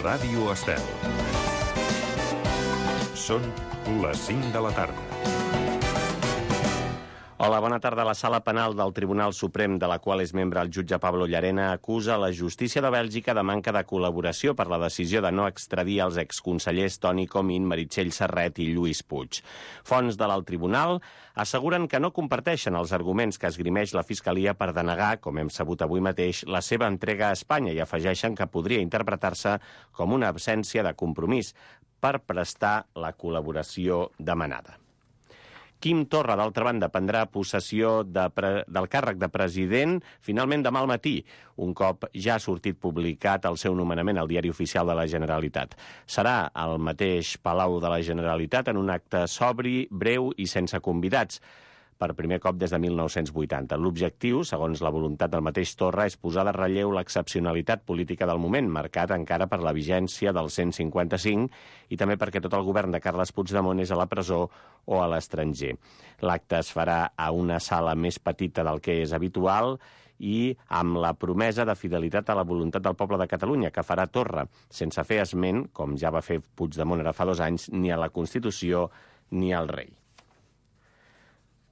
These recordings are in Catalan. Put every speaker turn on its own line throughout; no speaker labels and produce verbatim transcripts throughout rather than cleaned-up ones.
Ràdio Estel. Són les cinc de la tarda.
Hola, bona tarda. La Sala Penal del Tribunal Suprem, de la qual és membre el jutge Pablo Llarena, acusa la justícia de Bèlgica de manca de col·laboració per la decisió de no extradir els exconsellers Toni Comín, Meritxell Serret i Lluís Puig. Fonts de l'alt tribunal asseguren que no comparteixen els arguments que esgrimeix la Fiscalia per denegar, com hem sabut avui mateix, la seva entrega a Espanya i afegeixen que podria interpretar-se com una absència de compromís per prestar la col·laboració demanada. Quim Torra, d'altra banda, prendrà possessió de pre... del càrrec de president finalment demà al matí, un cop ja ha sortit publicat el seu nomenament al Diari Oficial de la Generalitat. Serà al mateix Palau de la Generalitat en un acte sobri, breu i sense convidats, per primer cop des de mil nou-cents vuitanta. L'objectiu, segons la voluntat del mateix Torra, és posar de relleu l'excepcionalitat política del moment, marcat encara per la vigència del cent cinquanta-cinc i també perquè tot el govern de Carles Puigdemont és a la presó o a l'estranger. L'acte es farà a una sala més petita del que és habitual i amb la promesa de fidelitat a la voluntat del poble de Catalunya, que farà Torra, sense fer esment, com ja va fer Puigdemont ara fa dos anys, ni a la Constitució ni al rei.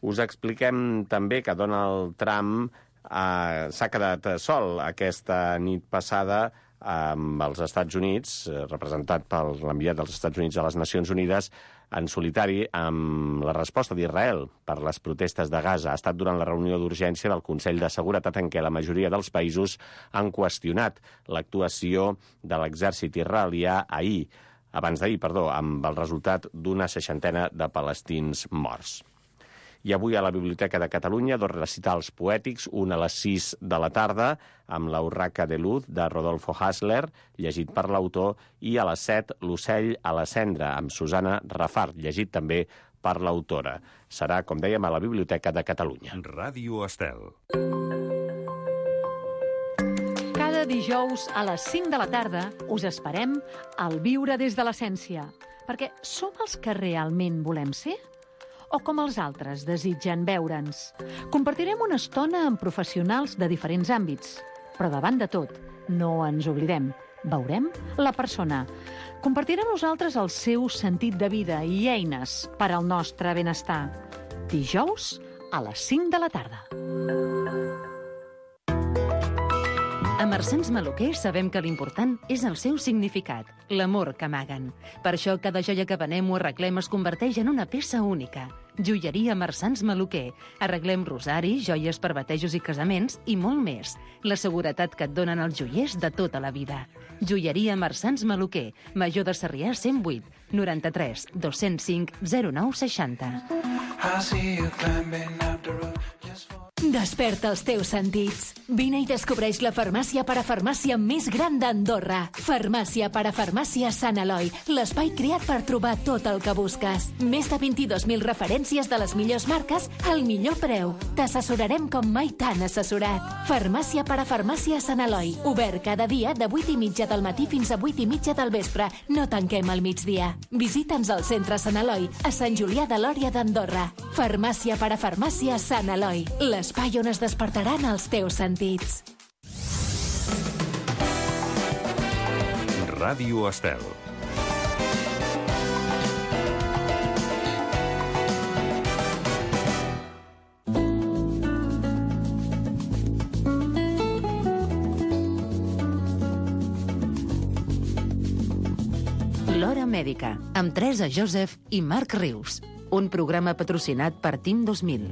Us expliquem també que Donald Trump eh, s'ha quedat sol aquesta nit passada amb els Estats Units, representat per l'enviat dels Estats Units a les Nacions Unides, en solitari amb la resposta d'Israel per les protestes de Gaza. Ha estat durant la reunió d'urgència del Consell de Seguretat en què la majoria dels països han qüestionat l'actuació de l'exèrcit israelià ahir, abans d'ahir, perdó, amb el resultat d'una seixantena de palestins morts. I avui a la Biblioteca de Catalunya dos recitals poètics, un a les sis de la tarda amb la Urraca de Luz de Rodolfo Hassler, llegit per l'autor, i a les set L'ocell a la cendra amb Susana Rafart, llegit també per l'autora. Serà, com dèiem, a la Biblioteca de Catalunya.
Ràdio Estel.
Cada dijous a les cinc de la tarda us esperem al Viure des de l'Essència, perquè som els que realment volem ser? O com els altres desitgen veure'ns. Compartirem una estona amb professionals de diferents àmbits. Però davant de tot, no ens oblidem. Veurem la persona. Compartirà amb nosaltres el seu sentit de vida i eines per al nostre benestar. Dijous a les cinc de la tarda.
A Marsans Maluquer sabem que l'important és el seu significat, l'amor que amaguen. Per això cada joia que venem o arreglem es converteix en una peça única. Joieria Marsans Maluquer. Arreglem rosari, joies per batejos i casaments i molt més. La seguretat que et donen els joiers de tota la vida. Joieria Marsans Maluquer. Major de Sarrià cent vuit, noranta-tres, dos-cents cinc, zero nou seixanta.
Desperta els teus sentits. Vine i descobreix la farmàcia parafarmàcia més gran d'Andorra. Farmàcia parafarmàcia Sant Eloi, l'espai creat per trobar tot el que busques. Més de vint-i-dos mil referències de les millors marques al millor preu. T'assessorarem com mai t'han assessorat. Farmàcia parafarmàcia Sant Eloi, obert cada dia de vuit i mitja del matí fins a vuit i mitja del vespre. No tanquem al migdia. Visita'ns al centre Sant Eloi, a Sant Julià de Lòria d'Andorra. Farmàcia parafarmàcia Sant Eloi, l'espai on es despertaran els teus sentits.
Ràdio Estel.
L'Hora Mèdica, amb Teresa Joseph i Marc Rius. Un programa patrocinat per Team dos mil.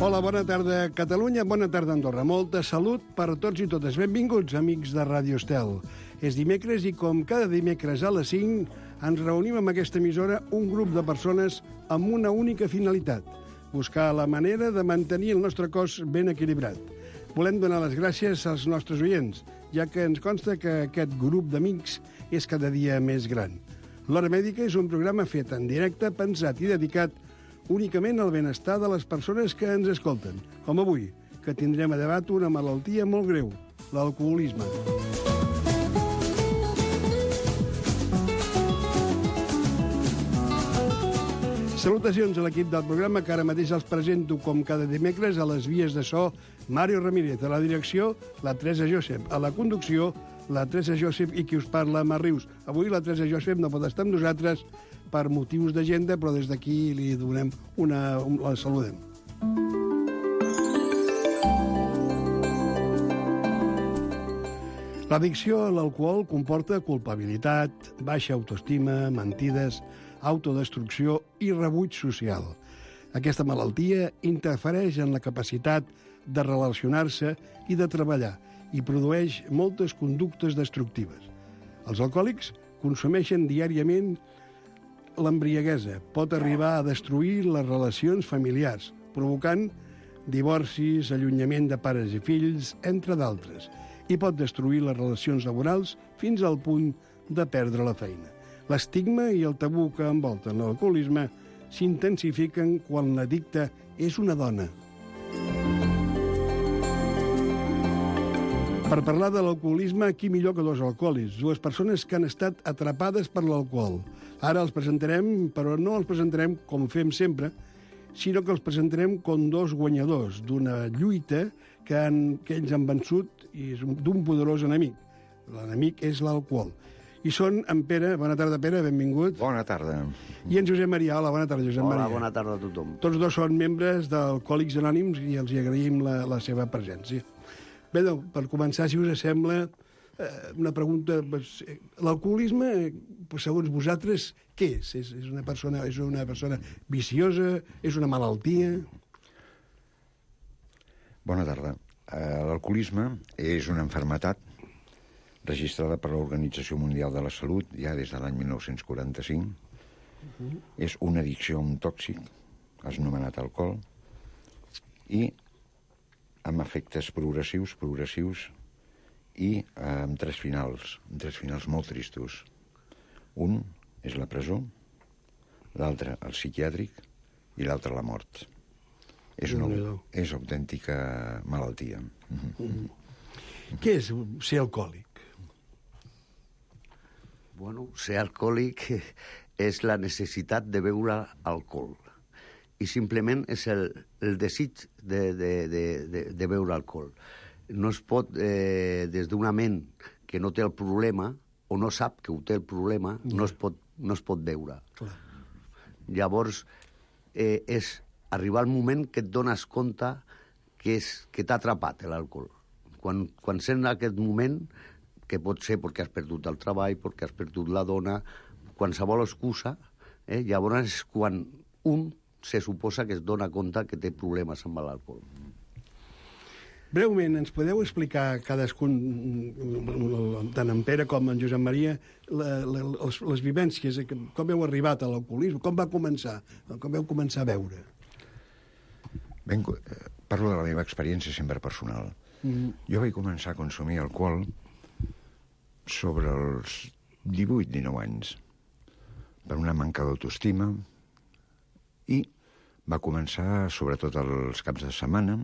Hola, bona tarda, Catalunya, bona tarda, Andorra. Molta salut per a tots i totes. Benvinguts, amics de Ràdio Estel. És dimecres i, com cada dimecres a les cinc, ens reunim amb aquesta emissora un grup de persones amb una única finalitat: buscar la manera de mantenir el nostre cos ben equilibrat. Volem donar les gràcies als nostres oients, ja que ens consta que aquest grup d'amics és cada dia més gran. L'Hora Mèdica és un programa fet en directe, pensat i dedicat únicament al benestar de les persones que ens escolten, com avui, que tindrem a debat una malaltia molt greu, l'alcoholisme. Salutacions a l'equip del programa, que ara mateix els presento com cada dimecres a les vies de so Mario Ramírez, a la direcció la Teresa Josep, a la conducció la Teresa Josep i qui us parla, Mar Rius. Avui la Teresa Josep no pot estar amb nosaltres per motius d'agenda, però des d'aquí li donem una... la saludem. L'addicció a l'alcohol comporta culpabilitat, baixa autoestima, mentides, autodestrucció i rebuig social. Aquesta malaltia interfereix en la capacitat de relacionar-se i de treballar i produeix moltes conductes destructives. Els alcohòlics consumeixen diàriament l'embriaguesa. Pot arribar a destruir les relacions familiars, provocant divorcis, allunyament de pares i fills, entre d'altres, i pot destruir les relacions laborals fins al punt de perdre la feina. L'estigma i el tabú que envolten l'alcoholisme s'intensifiquen quan l'addicte és una dona. Per parlar de l'alcoholisme, qui millor que dos alcohòlics, dues persones que han estat atrapades per l'alcohol. Ara els presentarem, però no els presentarem com fem sempre, sinó que els presentarem com dos guanyadors d'una lluita que, han, que ells han vençut i d'un poderós enemic. L'enemic és l'alcohol. I són en Pere. Bona tarda, Pere, benvingut.
Bona tarda.
I en Josep Maria. Hola, bona tarda, Josep
Hola,
Maria.
Hola, bona tarda a tothom.
Tots dos són membres d'Alcohòlics Anònims i els hi agraïm la, la seva presència. Bé, doncs, per començar, si us sembla, eh, una pregunta. Pues, l'alcoholisme, pues, segons vosaltres, què és? És, és, una persona, és una persona viciosa? És una malaltia?
Bona tarda. Uh, L'alcoholisme és una malaltia registrada per l'Organització Mundial de la Salut ja des de l'any mil nou-cents quaranta-cinc. Uh-huh. És una addicció a un tòxic, anomenat alcohol, i amb efectes progressius, progressius, i eh, amb tres finals, amb tres finals molt tristos. Un és la presó, l'altre el psiquiàtric i l'altre la mort. És una és autèntica malaltia.
Uh-huh. Què és ser alcohòlic?
Bueno, ser alcohòlic és la necessitat de beure alcohol. I simplement és el, el desig de, de, de, de, de beure alcohol. No es pot, eh, des d'una ment que no té el problema, o no sap que ho té el problema, no, no, es, pot, no es pot beure. Clar. Llavors, eh, és arribar al moment que et dones compte que, és, que t'ha atrapat l'alcohol. Quan, quan sent aquest moment, que pot ser perquè has perdut el treball, perquè has perdut la dona, qualsevol excusa, eh, llavors és quan un se suposa que es dona compte que té problemes amb l'alcohol.
Breument, ens podeu explicar cadascun, tant en Pere com en Josep Maria, la, la, les, les vivències, com heu arribat a l'alcoholisme, com va començar, com vau començar a beure?
Ben, parlo de la meva experiència sempre personal. Mm. Jo vaig començar a consumir alcohol sobre els divuit dinou anys, per una manca d'autoestima, i va començar sobretot els caps de setmana,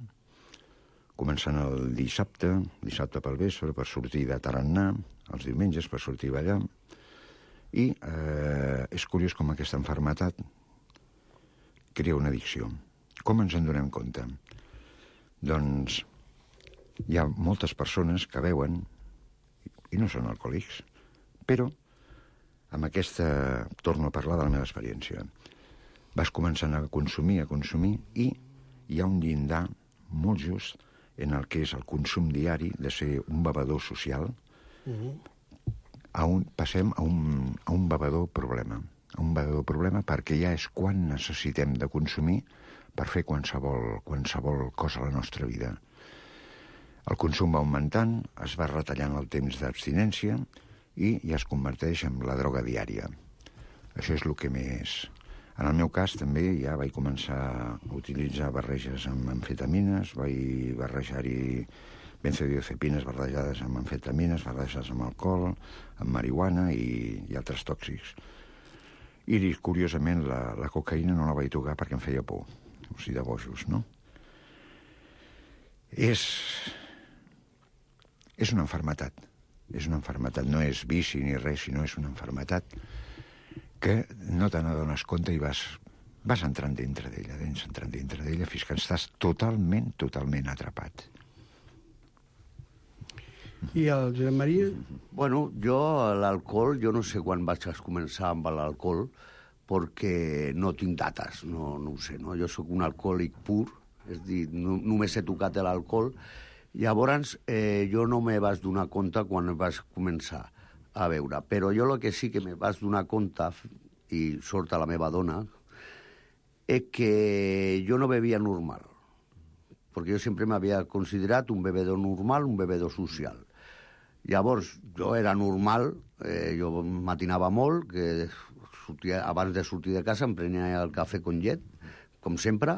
començant el dissabte, dissabte pel vespre, per sortir de tarannà, els diumenges per sortir a ballar, i eh, és curiós com aquesta malaltia crea una addicció. Com ens en donem compte? Doncs hi ha moltes persones que beuen i no són alcohòlics, però amb aquesta, torno a parlar de la meva experiència, vas començant a consumir, a consumir, i hi ha un llindar molt just en el que és el consum diari de ser un bevedor social, uh-huh. a un, passem a un, a un bevedor problema, a un bevedor problema perquè ja és quan necessitem de consumir per fer qualsevol, qualsevol cosa a la nostra vida. El consum va augmentant, es va retallant el temps d'abstinència i ja es converteix en la droga diària. Això és el que més... En el meu cas també ja vaig començar a utilitzar barreges amb amfetamines, vaig barrejar-hi benzodiazepines barrejades amb amfetamines, barrejades amb alcohol, amb marihuana i, i altres tòxics. I, curiosament, la, la cocaïna no la vaig tocar perquè em feia por, o sigui, de bojos, no? És... És una malaltia, és una malaltia, no és vici ni res, sinó és una malaltia que no te n'adones compte i vas, vas entrant dintre d'ella, dins entrant dintre d'ella, fins que estàs totalment, totalment atrapat.
I el Josep Maria?
Bueno, jo l'alcohol, jo no sé quan vaig començar amb l'alcohol, perquè no tinc dates, no, no ho sé, no? Jo sóc un alcohòlic pur, és a dir, no, només he tocat l'alcohol. Llavors, eh, jo no me vaig donar compte quan vaig començar a beure, però jo el que sí que me vaig donar compte, i sort a la meva dona, és que jo no bevia normal, perquè jo sempre m'havia considerat un bevedor normal, un bevedor social. Llavors, jo era normal, eh, jo matinava molt, que sortia, abans de sortir de casa em prenia el cafè con llet, com sempre,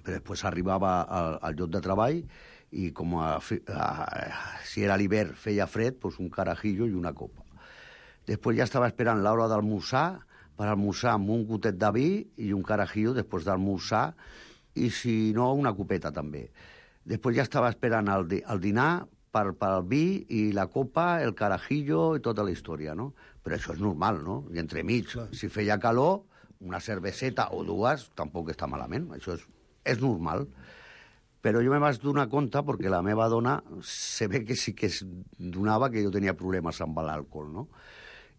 però després arribava al, al lloc de treball i com a, a, si era l'hivern feia fred, doncs un carajillo i una copa. Després ja estava esperant l'hora d'almorzar, per almorzar amb un gotet de vi i un carajillo després d'almorzar, i si no, una copeta també. Després ja estava esperant el, el dinar per, per el vi i la copa, el carajillo i tota la història, no? Però això és normal, no? I entremig, si feia calor, una cerveseta o dues tampoc està malament, això és, és normal. Però jo me vaig donar compte perquè la meva dona se ve que sí que es donava que jo tenia problemes amb l'alcohol, no?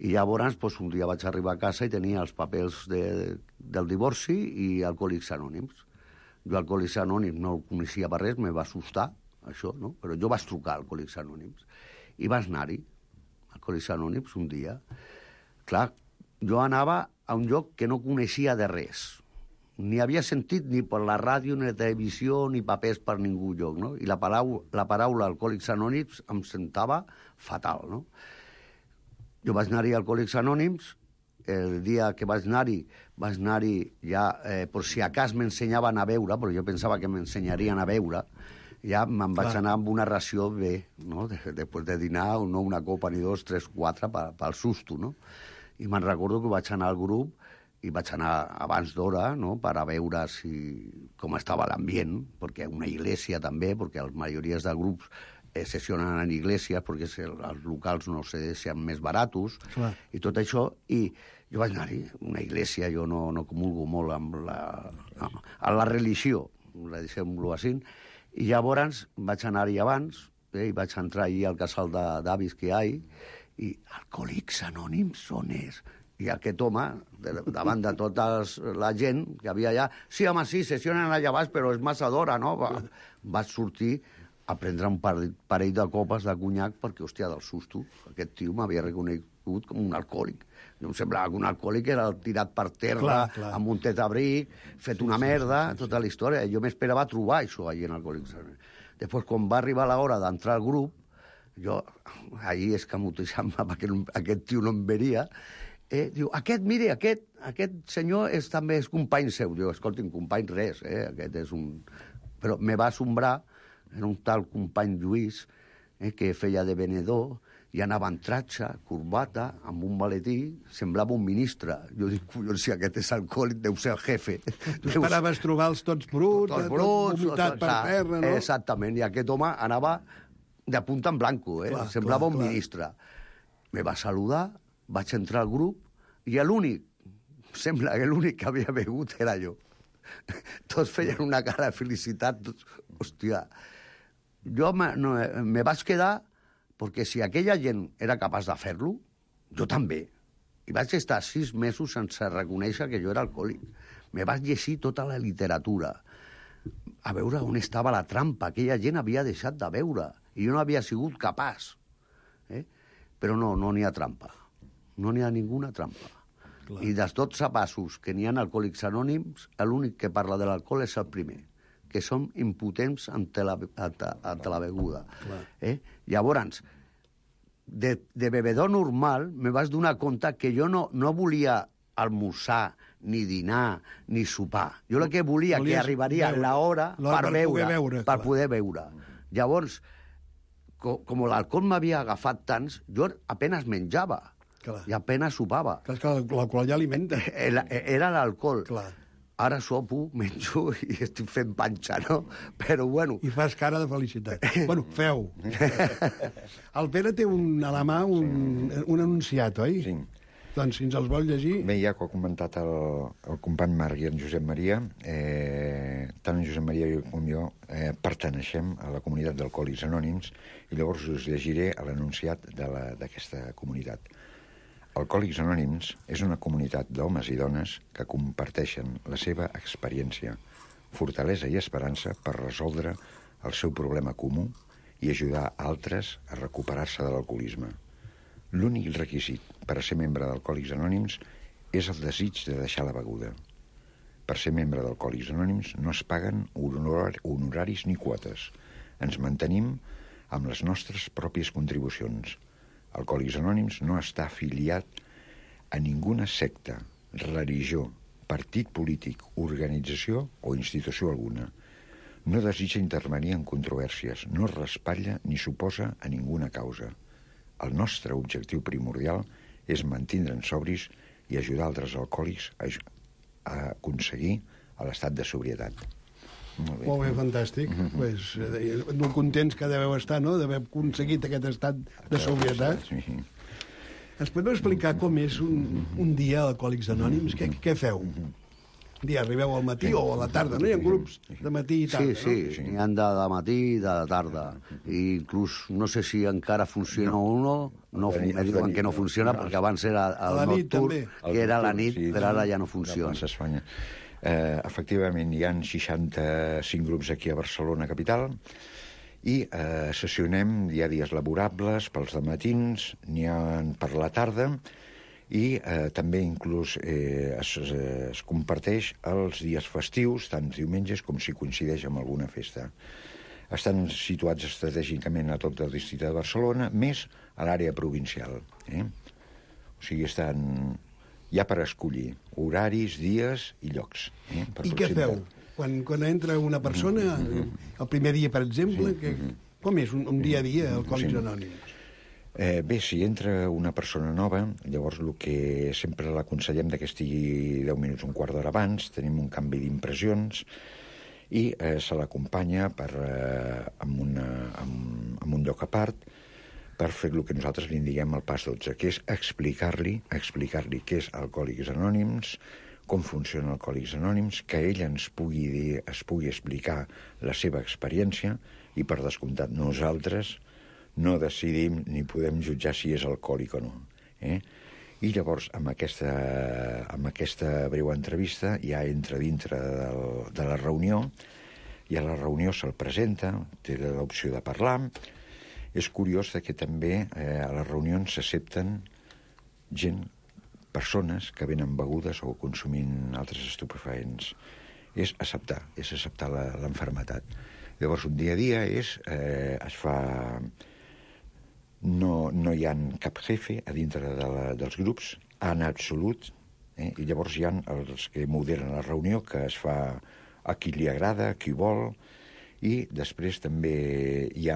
I llavors, doncs, un dia vaig arribar a casa i tenia els papers de, del divorci i Alcohòlics Anònims. Jo Alcohòlics Anònims no el coneixia per res, me va assustar, això, no? Però jo vaig trucar a Alcohòlics Anònims i vaig anar-hi, Alcohòlics Anònims, un dia. Clar, jo anava a un lloc que no coneixia de res. Ni havia sentit ni per la ràdio, ni la televisió, ni papers per ningú lloc, no? I la paraula, la paraula Alcohòlics Anònims em sentava fatal, no? Jo vaig anar-hi a Alcohòlics Anònims, el dia que vaig anar-hi, vaig anar-hi ja, eh, per si a cas m'ensenyaven a beure, però jo pensava que m'ensenyarien a beure, ja me'n vaig anar amb una ració bé, no? Després de dinar, no una copa ni dos, tres, quatre, pel susto, no? I me'n recordo que vaig anar al grup i vaig anar abans d'hora, no?, per a veure si, com estava l'ambient, perquè una iglesia també, perquè les majories de grups eh, sessionen en iglesia, perquè els locals no sé si són més baratos, clar, i tot això, i jo vaig anar-hi, una iglesia, jo no, no comulgo molt amb la, amb la religió, la deixem-lo així, i llavors vaig anar-hi abans, eh, i vaig entrar allà al casal d'avis que hi ha, i Alcohòlics Anònims on és? I aquest home, davant de tota la gent que havia allà, sí, home, sí, sessionen allà baix, però és massa d'hora, no? Va, vaig sortir a prendre un parell de copes de conyac perquè, hòstia, del susto, aquest tio m'havia reconegut com un alcohòlic. Jo em semblava que un alcohòlic era tirat per terra, clar, clar, amb un tetabric, fet una sí, merda, sí, sí, tota la història. Jo m'esperava trobar això allà en Alcohòlics Anònims. Després, quan va arribar l'hora d'entrar al grup, jo allí escamotejant-me perquè aquest tio no em veria, eh, diu, aquest, mire, aquest, aquest senyor és, també és company seu. Diu, escolti'm, company res, eh, aquest és un... Però me va assombrar, era un tal company Lluís, eh, que feia de venedor, i anava en tratxa, corbata, amb un maletí, semblava un ministre. Jo dic, collons, si aquest és alcohòlic, deu ser el jefe.
Tu esperaves trobar-los tots bruts, tots bruts, tot vomitat per terra, no?
Exactament, i aquest home anava de punta en blanco, eh? Clar, semblava clar, un clar. ministre. Me va saludar, vaig entrar al grup, i l'únic, sembla que l'únic que havia begut era jo. Tots feien una cara de felicitat, tots, hòstia. Jo me, no, me vaig quedar perquè si aquella gent era capaç de fer-lo, jo també. I vaig estar sis mesos sense reconèixer que jo era alcohòlic. Me vaig llegir tota la literatura, a veure on estava la trampa. Aquella gent havia deixat de beure, i jo no havia sigut capaç. Eh? Però no, no n'hi ha trampa. No n'hi ha ninguna trampa. Clar. I dels dotze passos que n'hi ha Alcohòlics Anònims, l'únic que parla de l'alcohol és el primer, que som impotents ante la, ante la beguda. Eh? Llavors, de, de bevedor normal, me vas donar compte que jo no, no volia almorzar, ni dinar, ni sopar. Jo el que volia, Volies que arribaria l'hora per, per beure, beure, per poder beure. Llavors, com, com l'alcohol m'havia agafat tants, jo apenas menjava, clar, i apenas sopava.
Clar, que l'alcohol ja alimenta.
Era, era l'alcohol. Clar. Ara sopo, menjo i estic fent panxa, no? Però, bueno...
I fas cara de felicitat. Bueno, feu. El Pere té un, a la mà un, un anunciat, oi?
Sí.
Doncs si ens els vol llegir...
Bé, ja que ho ha comentat el, el company Marc i en Josep Maria, eh, tant en Josep Maria com jo eh, perteneixem a la comunitat d'Alcohòlics Anònims i llavors us llegiré l'enunciat d'aquesta comunitat. Alcohòlics Anònims és una comunitat d'homes i dones que comparteixen la seva experiència, fortalesa i esperança per resoldre el seu problema comú i ajudar altres a recuperar-se de l'alcoholisme. L'únic requisit per a ser membre d'Alcohòlics Anònims és el desig de deixar la beguda. Per ser membre d'Alcohòlics Anònims no es paguen honor honoraris ni quotes. Ens mantenim amb les nostres pròpies contribucions. Alcohòlics Anònims no està afiliat a ninguna secta, religió, partit polític, organització o institució alguna. No desitja intervenir en controvèrsies, no respatlla ni s'oposa a ninguna causa. El nostre objectiu primordial és mantindre'ns sobris i ajudar altres alcohòlics a, a aconseguir l'estat de sobrietat.
Molt bé, Molt bé fantàstic. Mm-hmm. Pues, eh, molt contents que deveu estar, no?, d'haver aconseguit aquest estat de sobrietat. Sí. Ens podeu explicar com és un, un dia a Alcohòlics Anònims? Què, què feu? Un dia arribeu al matí o a la tarda, no? Hi ha grups de matí i tarda,
sí, sí,
no?
n'hi ha de, de matí i de tarda. I inclús, no sé si encara funciona no. o no, no me diuen que no funciona, perquè abans era el nocturn, que era la nit, però ara ja no funciona.
Eh, efectivament, hi ha seixanta-cinc grups aquí a Barcelona capital i eh, sessionem, hi ha dies laborables pels dematins, n'hi ha per la tarda i eh, també inclús eh, es, es comparteix els dies festius, tant diumenges com si coincideix amb alguna festa. Estan situats estratègicament a tot el districte de Barcelona, més a l'àrea provincial. Eh? O sigui, estan ja per escollir horaris, dies i llocs. Eh? Per
I què feu? Quan, quan entra una persona, mm-hmm. el primer dia, per exemple, sí. que, com és un, un dia a dia al Alcohòlics sí. Anònims?
Eh, bé, si entra una persona nova, llavors el que sempre l'aconsellem que estigui deu minuts, un quart d'hora abans, tenim un canvi d'impressions i eh, se l'acompanya per, eh, amb, una, amb, amb un lloc a part per fer el que nosaltres li diguem al pas dotze, que és explicar-li explicar-li què és Alcohòlics Anònims, com funciona Alcohòlics Anònims, que ell ens pugui dir, es pugui explicar la seva experiència i, per descomptat, nosaltres no decidim ni podem jutjar si és alcohòlic o no. Eh? I llavors, amb aquesta, amb aquesta breu entrevista, ja entra dintre del, de la reunió, i a la reunió se'l presenta, té l'opció de parlar. És curiós que també eh, a les reunions s'accepten gent, persones que venen begudes o consumint altres estupefaents. És acceptar, és acceptar l'enfermetat. Llavors, un dia a dia és, eh, es fa... No, no hi ha cap jefe a dintre de la, dels grups, en absolut, eh? I llavors hi ha els que moderen la reunió, que es fa a qui li agrada, a qui vol, i després també hi ha,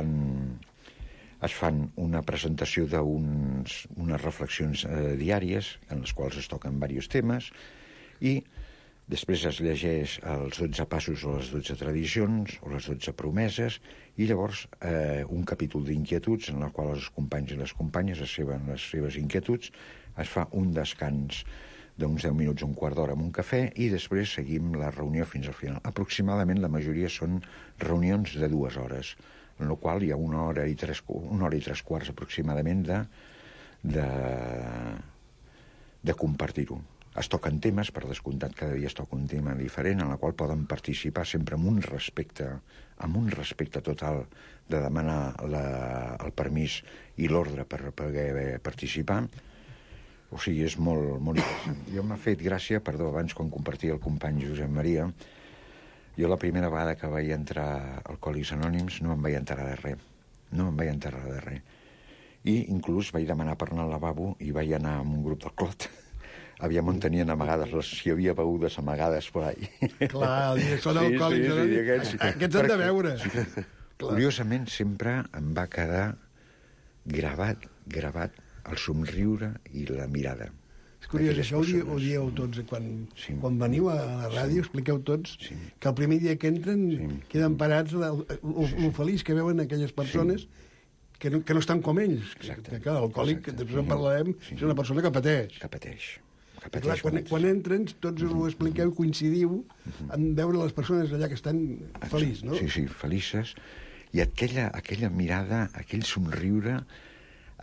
es fan una presentació d'unes reflexions eh, diàries, en les quals es toquen diversos temes, i després es llegeix els dotze passos o les dotze tradicions o les dotze promeses i llavors eh, un capítol d'inquietuds en el qual els companys i les companyes es seven les seves inquietuds, es fa un descans d'uns deu minuts, un quart d'hora amb un cafè i després seguim la reunió fins al final. Aproximadament la majoria són reunions de dues hores, en la qual hi ha una hora i tres, una hora i tres quarts aproximadament de, de, de compartir-ho. Es toquen temes, per descomptat, cada dia es toca un tema diferent, en la qual poden participar sempre amb un respecte, amb un respecte total de demanar la, el permís i l'ordre per poder participar. O sigui, és molt, molt interessant. Jo m'ha fet gràcia, perdó, abans quan compartia el company Josep Maria, jo la primera vegada que vaig entrar a Alcohòlics Anònims no em vaig enterar de res. No em vaig enterar de res. I inclús vaig demanar per anar al lavabo i vaig anar amb un grup del Clot. Aviam on tenien amagades, les, si hi havia begudes amagades per ahí.
Clar, són alcohòlics. Sí, sí, sí, aquests, aquests han de veure. Sí.
Curiosament, sempre em va quedar gravat, gravat el somriure i la mirada.
És curiós, això ho, di, ho dieu tots. Quan, sí. quan veniu a la ràdio, expliqueu tots sí. que el primer dia que entren sí. queden parats el, el, el, el feliç que veuen aquelles persones sí. que no, que no estan com ells.
Exacte.
Que, que l'alcohòlic, que després en parlarem,
Sí.
és una persona que pateix.
Que pateix. Que
I
pateix
clar, quan,
molt.
quan entren, tots ho expliqueu, coincidiu en veure les persones allà que estan feliços, no?
Sí, sí, felices. I aquella, aquella mirada, aquell somriure,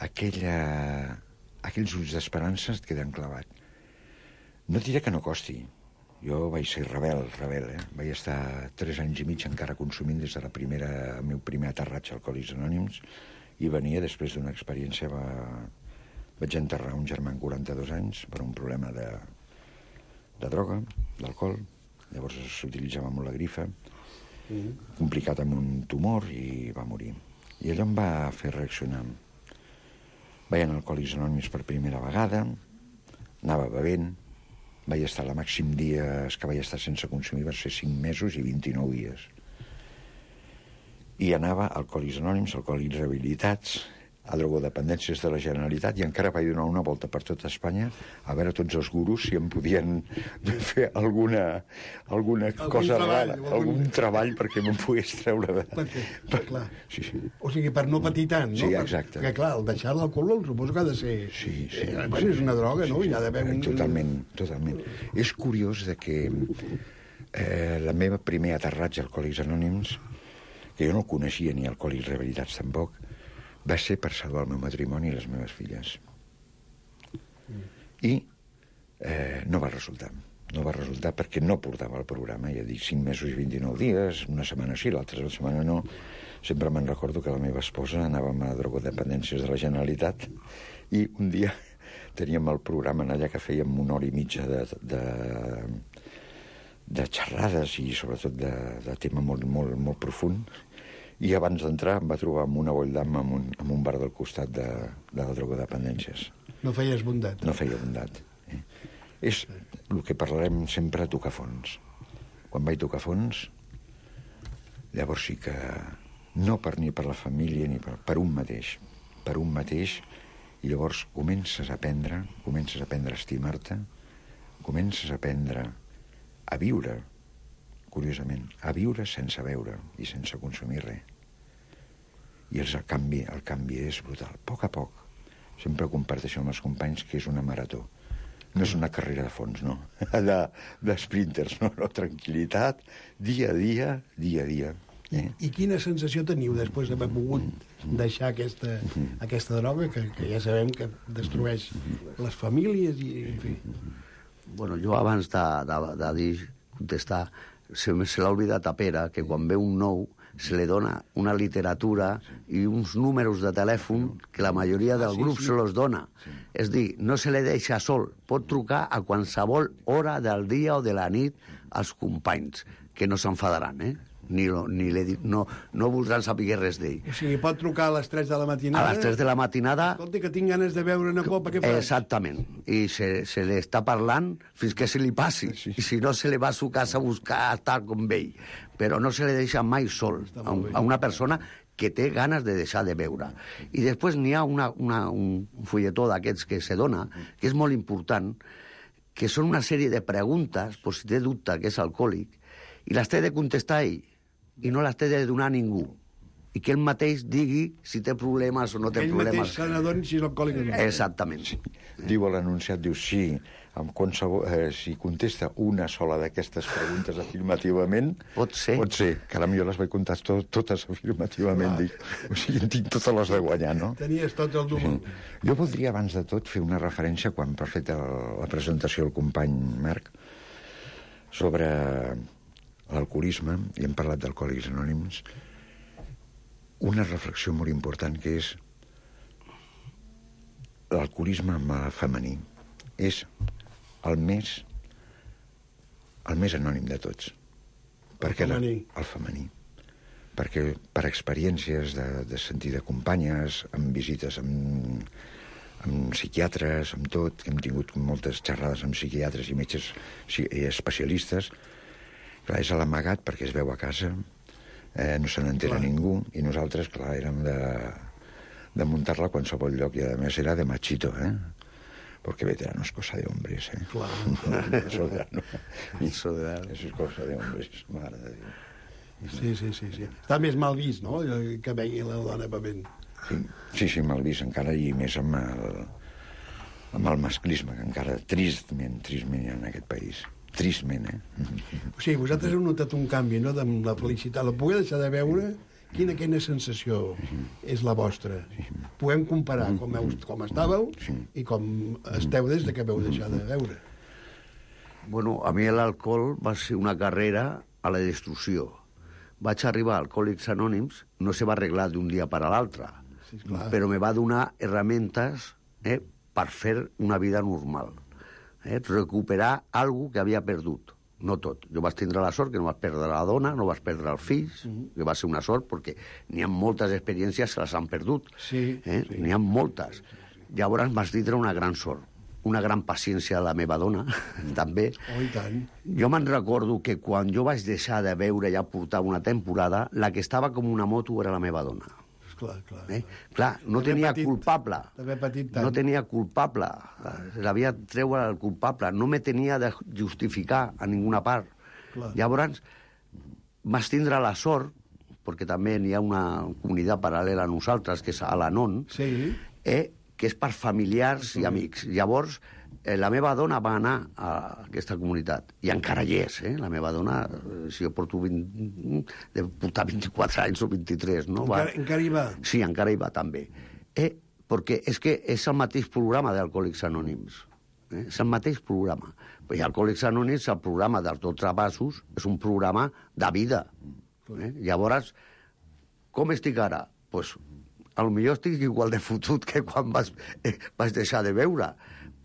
aquella, aquells ulls d'esperança et queden clavat. No et diré que no costi. Jo vaig ser rebel, rebel, eh? Vaig estar tres anys i mig encara consumint des de la primera, el meu primer aterratge a Alcohòlics Anònims, i venia després d'una experiència... Va... Vaig enterrar un germà amb quaranta-dos anys per un problema de, de droga, d'alcohol. Llavors s'utilitzava molt la grifa, mm. complicat amb un tumor, i va morir. I allò em va fer reaccionar. Vaig anar a Alcohòlics Anònims per primera vegada, anava bevent, vaig estar la màxim dies que vaig estar sense consumir va ser cinc mesos i vint-i-nou dies. I anava a Alcohòlics Anònims, Alcohòlics Rehabilitats, a drogodependències de la Generalitat, i encara vaig donar una volta per tot Espanya a veure tots els gurus si em podien fer alguna, alguna
Algun
cosa
treball,
rara,
algun-
algun treball perquè me'n pogués treure de...
Perquè,
per...
clar.
Sí, sí.
O sigui, per no patir tant, no?
Sí, exacte.
Perquè, clar, el deixar l'alcohol suposo que ha de ser...
Sí, sí.
Eh, bueno, és una droga, no?
Sí, sí.
Hi ha d'haver un...
Totalment, totalment. És curiós de que eh, la meva primer aterratge a Alcohòlics Anònims, que jo no el coneixia ni Alcohòlics Rehabilitats tampoc, va ser per salvar el meu matrimoni i les meves filles. I eh, no va resultar. No va resultar perquè no portava el programa. Ja dic, cinc mesos i vint-i-nou dies, una setmana sí, l'altra setmana no. Sempre me'n recordo que la meva esposa anàvem a drogodependències de la Generalitat i un dia teníem el programa allà que fèiem una hora i mitja de, de, de xerrades i sobretot de, de tema molt, molt, molt profund. I abans d'entrar em va trobar amb una boldam en un, en un bar del costat de, de la drogodependències.
No feies bondat.
No feia bondat. Eh? És el que parlarem sempre, tocar fons. Quan vaig tocar fons, llavors sí que no per ni per la família ni per, per un mateix. Per un mateix, i llavors comences a aprendre, comences a aprendre a estimar-te, comences a aprendre a viure, curiosament, a viure sense veure i sense consumir res. I el canvi, el canvi és brutal. A poc a poc, sempre comparteixo amb els companys que és una marató. No és una carrera de fons, no. De, de sprinters, no, no. Tranquil·litat, dia a dia, dia a dia. Eh?
I quina sensació teniu després d'haver pogut deixar aquesta, aquesta droga que, que ja sabem que destrueix les famílies i, en fi...
Bueno, jo abans de, de, de dir, contestar, se, se l'ha oblidat a Pere que quan ve un nou se li dona una literatura i uns números de telèfon que la majoria del
Ah, sí,
grup
sí.
se los dona. És dir, no se li deixa sol. Pot trucar a qualsevol hora del dia o de la nit als companys, que no s'enfadaran, eh? Ni, lo, ni le, di- no, no voldran saber res d'ell.
O sigui, pot trucar a les tres de la
A
matinada...
les tres de la matinada...
Escolta, que tinc ganes de beure una copa, què fas?
Exactament. I se, se li està parlant fins que se li passi.
Sí.
I si no, se li va a su casa a buscar a estar com ell. Però no se li deixa mai sol a, un, a una persona que té ganes de deixar de beure. I després n'hi ha una, una, un fulletó d'aquests que se dona, que és molt important, que són una sèrie de preguntes, per si té dubte que és alcohòlic, i les té de contestar ell, i no les té de donar a ningú. I que ell mateix digui si té problemes o no té
Ell
problemes.
mateix se n'adoni si és alcohòlic o no.
Exactament. Sí.
Diu a l'anunciat, diu, sí, amb qualsevol, eh, si contesta una sola d'aquestes preguntes afirmativament...
Pot ser.
Pot ser. Caram, jo les vaig comptar to totes afirmativament. Dic, o sigui, en tinc totes les de guanyar, no?
Tenies tot el número.
Sí. Jo voldria, abans de tot, fer una referència, quan per fet el, la presentació del company Marc, sobre l'alcoholisme, i hem parlat d'Alcohòlics Anònims, una reflexió molt important que és l'alcoholisme femení és el més el més anònim de tots. Perquè la-
femení.
el femení. Perquè per experiències de, de sentir de companyes, amb visites amb, amb psiquiatres, amb tot, hem tingut moltes xerrades amb psiquiatres i metges i especialistes, clar, és a l'amagat perquè es veu a casa, eh, no se n'entera ningú, i nosaltres, clar, érem de, de muntar-la a qualsevol lloc, i a més era de machito, eh? Porque veterano es cosa de hombres, eh?
Clar.
Eso de, no.
Eso de...
Eso es cosa de hombres, mare de Déu.
Sí, sí, sí, sí. Està més mal vist, no?, que vegi la dona bevent.
Sí, sí, sí me'l vist encara, i més amb el, amb el masclisme, que encara tristment, tristment hi ha en aquest país. Tristment, eh?
O sigui, vosaltres heu notat un canvi, no?, de la felicitat. La poder deixar de veure, quina, quina sensació és la vostra? Podem comparar com, heu, com estàveu i com esteu des de que veu deixar de veure.
Bueno, a mi l'alcohol va ser una carrera a la destrucció. Vaig arribar a Alcohòlics Anònims, no se va arreglar d'un dia per a l'altre,
Sí, clar.
però me va donar herramientes eh, per fer una vida normal. Eh, recuperar algo que havia perdut. No tot. Jo vaig tindre la sort que no vaig perdre la dona, no vaig perdre els fills, mm-hmm. que va ser una sort perquè n'hi ha moltes experiències que les han perdut.
Sí,
eh?
sí.
N'hi ha moltes. Llavors vaig tindre una gran sort, una gran paciència de la meva dona, també.
Oh, i tant.
Jo me'n recordo que quan jo vaig deixar de veure, ja portava una temporada, la que estava com una moto era la meva dona.
Clar, clar.
Eh? Clar, no
D'haver
tenia
patit-
culpable.
d'haver patit tant.
No tenia culpable. L'havia de treure el culpable. No me tenia de justificar a ninguna part.
Clar.
Llavors, vaig tindre la sort, perquè també n'hi ha una comunitat paral·lela a nosaltres, que és a l'Anon,
Sí.
eh, que és per familiars i amics. Llavors, eh, la meva dona va anar a aquesta comunitat, i encara hi és, eh? La meva dona, eh, si jo porto vint, de portar vint-i-quatre anys o vint-i-tres, no? Va...
Encara, encara hi va.
Sí, encara hi va també. Eh, perquè és que és el mateix programa d'Alcohòlics Anònims. Eh? És el mateix programa. I Alcohòlics Anònims, el programa dels dotze passos, és un programa de vida. Eh? Llavors, com estic ara? Pues, a lo millor estic igual de fotut que quan vas, eh, vas deixar de veure,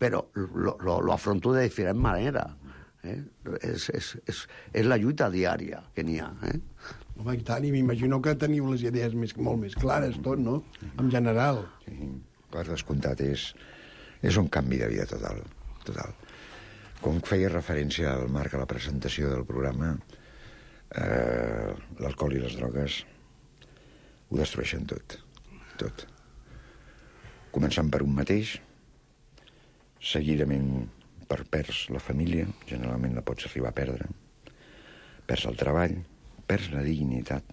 però lo, lo, lo afronto de diferent manera. Eh? És, és, és, és la lluita diària que n'hi ha. Eh?
Home, i tant, i m'imagino que teniu les idees més, molt més clares, tot, no?, en general.
Sí, per descomptat, és, és un canvi de vida total, total. Com feia referència al Marc a la presentació del programa, eh, l'alcohol i les drogues ho destrueixen tot, tot. Començant per un mateix, seguidament per perds la família, generalment la pots arribar a perdre, perds el treball, perds la dignitat,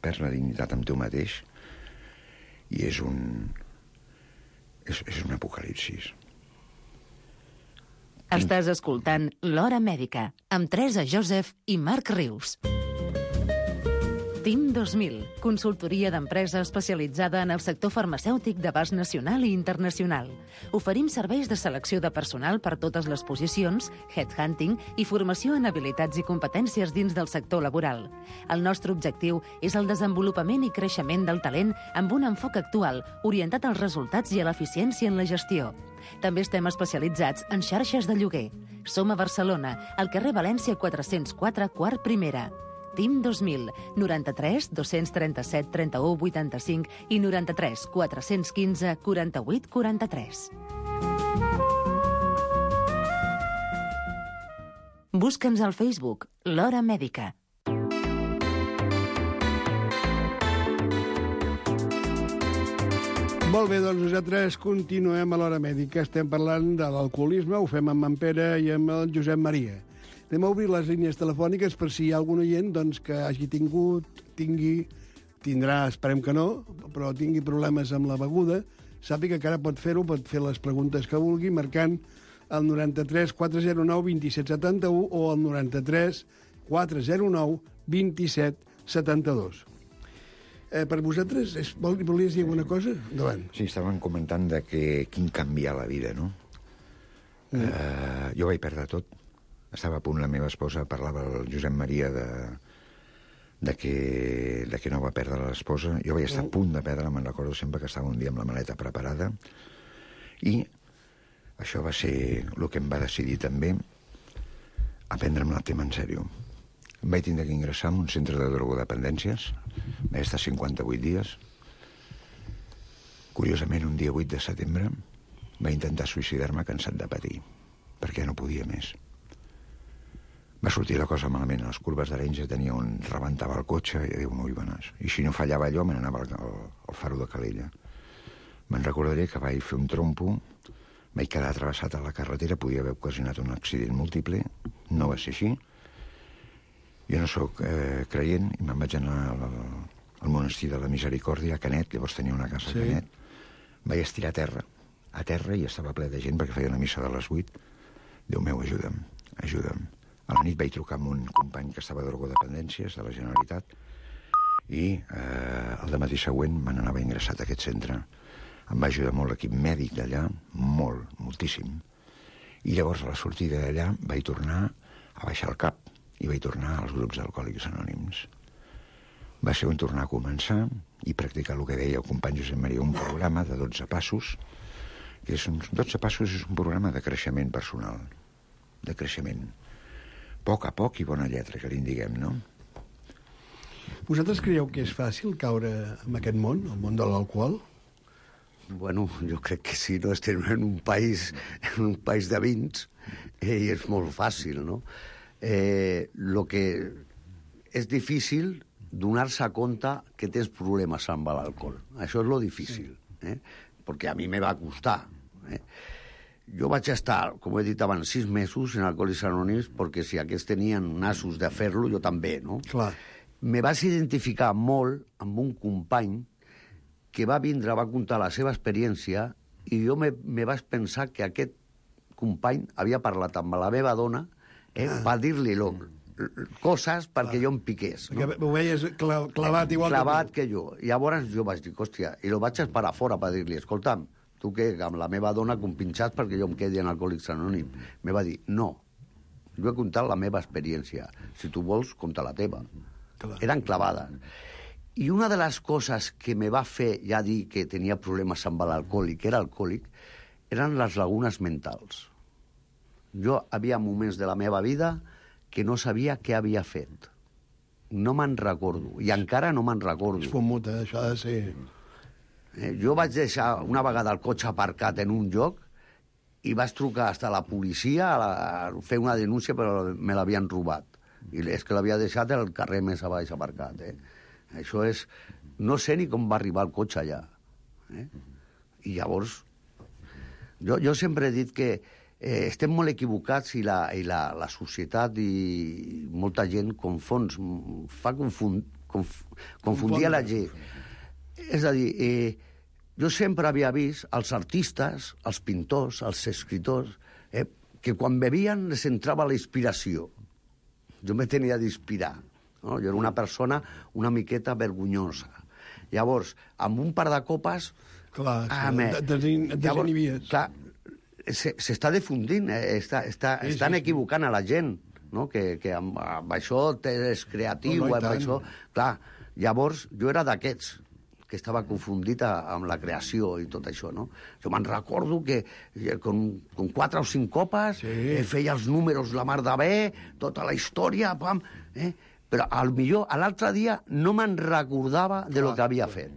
perds la dignitat amb tu mateix, i és un... és, és un apocalipsis.
Estàs escoltant L'Hora Mèdica, amb Teresa Joseph i Marc Rius. Team dos mil, consultoria d'empresa especialitzada en el sector farmacèutic d'abast nacional i internacional. Oferim serveis de selecció de personal per totes les posicions, headhunting i formació en habilitats i competències dins del sector laboral. El nostre objectiu és el desenvolupament i creixement del talent amb un enfoc actual, orientat als resultats i a l'eficiència en la gestió. També estem especialitzats en xarxes de lloguer. Som a Barcelona, al carrer València quatre-cents quatre, quart primera. Team dos mil, noranta-tres dos-cents trenta-set trenta-u vuitanta-cinc i noranta-tres quatre-cents quinze quaranta-vuit quaranta-tres. Busca'ns al Facebook, L'Hora Mèdica.
Molt bé, doncs nosaltres continuem a l'Hora Mèdica. Estem parlant de l'alcoholisme, ho fem amb en Pere i amb el Josep Maria. Anem a obrir les línies telefòniques per si hi ha algun oient doncs, que hagi tingut, tingui, tindrà, esperem que no, però tingui problemes amb la beguda, sàpiga que ara pot fer-ho, pot fer les preguntes que vulgui, marcant el noranta-tres quatre zero nou vint-i-set setanta-u o el noranta-tres quatre zero nou vint-i-set setanta-dos. Eh, per vosaltres, és, vol, volies dir alguna cosa? Endavant.
Sí, estaven comentant de que quin canviar la vida, no? Mm. Uh, jo vaig perdre tot. Estava a punt, la meva esposa, parlava el Josep Maria de, de, que, de que no va perdre l'esposa. Jo vaig estar mm. a punt de perdre, me'n recordo sempre que estava un dia amb la maleta preparada. I això va ser el que em va decidir també a prendre'm el tema en sèrio. Em vaig tindre que ingressar en un centre de drogodependències. Vaig estar cinquanta-vuit dies. Curiosament, un dia vuit de setembre vaig intentar suïcidar-me cansat de patir, perquè no podia més. Va sortir la cosa malament. A les curves d'Arenys tenia on rebentava el cotxe i Déu meu i benes. I si no fallava allò, me n'anava al, al, al faro de Calella. Me'n recordaré que vaig fer un trompo, vaig quedar travessat a la carretera, podia haver ocasionat un accident múltiple, no va ser així. Jo no sóc eh, creient i me'n vaig anar al, al monestir de la Misericòrdia, a Canet, llavors tenia una casa
Sí.
a Canet, vaig estirar a terra, a terra, i estava ple de gent perquè feia una missa de les vuit. Déu meu, ajuda'm, ajuda'm. A la nit vaig trucar amb un company que estava de drogodependències de la Generalitat i eh, el dematí següent me n'anava ingressat a aquest centre. Em va ajudar molt l'equip mèdic d'allà, molt, moltíssim. I llavors, a la sortida d'allà, vaig tornar a baixar el cap i vaig tornar als grups d'Alcohòlics Anònims. Va ser on tornar a començar i practicar el que deia el company Josep Maria, un programa de dotze passos, que és uns dotze passos és un programa de creixement personal, de creixement. Poc a poc i bona lletra, que li diguem, no?
Vosaltres creieu que és fàcil caure en aquest món, el món de l'alcohol?
Bueno, jo crec que sí, no? Estem en un país, en un país de vins eh, i és molt fàcil, no? Eh, lo que és difícil donar-se a compte que tens problemes amb l'alcohol. Això és lo difícil, eh? Perquè a mi me va costar. Eh? Jo vaig estar, com he dit abans, sis mesos en Alcohòlics Anònims perquè si aquests tenien nassos de fer-lo, jo també, no?
Clar.
Me vaig identificar molt amb un company que va vindre, va contar la seva experiència i jo me, me vaig pensar que aquest company havia parlat amb la meva dona eh, ah. per dir-li lo, coses perquè ah. jo em piqués. No?
Perquè ho veies cla clavat igual
clavat
que
tu. que jo. I llavors jo vaig dir, hòstia, i lo vaig esperar fora per dir-li, escolta'm, tu què, amb la meva dona compinxats perquè jo em quedi en Alcohòlics Anònims. Me va dir, no, jo he contat la meva experiència. Si tu vols, conta la teva. Clar. Eren clavades. I una de les coses que me va fer ja dir que tenia problemes amb l'alcohòlic, que era alcohòlic, eren les lagunes mentals. Jo havia moments de la meva vida que no sabia què havia fet. No me'n recordo, i encara no me'n recordo.
És fomuta, això ha de ser...
Eh, jo vaig deixar una vegada el cotxe aparcat en un lloc i vaig trucar fins a la policia a, la, a fer una denúncia, però me l'havien robat. I és que l'havia deixat el carrer més a baix aparcat. Eh? Això és... No sé ni com va arribar el cotxe allà. Eh? I llavors... Jo, jo sempre he dit que eh, estem molt equivocats i, la, i la, la societat i molta gent confons, fa confund, conf, confundir a la gent. És a dir, eh, jo sempre havia vist els artistes, els pintors, els escriptors, eh, que quan bevien les entrava la inspiració. Jo me tenia d'inspirar. No? Jo era una persona una miqueta vergonyosa. Llavors, amb un par de copes...
Clar,
ah, me,
desinibies.
Clar, s'està difundint, eh? està, està, sí, estan sí, equivocant a la gent, no? que, que amb, amb això és creatiu,
no, no,
amb això... Clar, llavors, jo era d'aquests que estava confundit amb la creació i tot això, no? Jo me'n recordo que con, con quatre o cinc copes sí. eh, feia els números la mar de bé, tota la història, pam, eh? Però al millor, a l'altre dia no me'n recordava de lo que havia fet.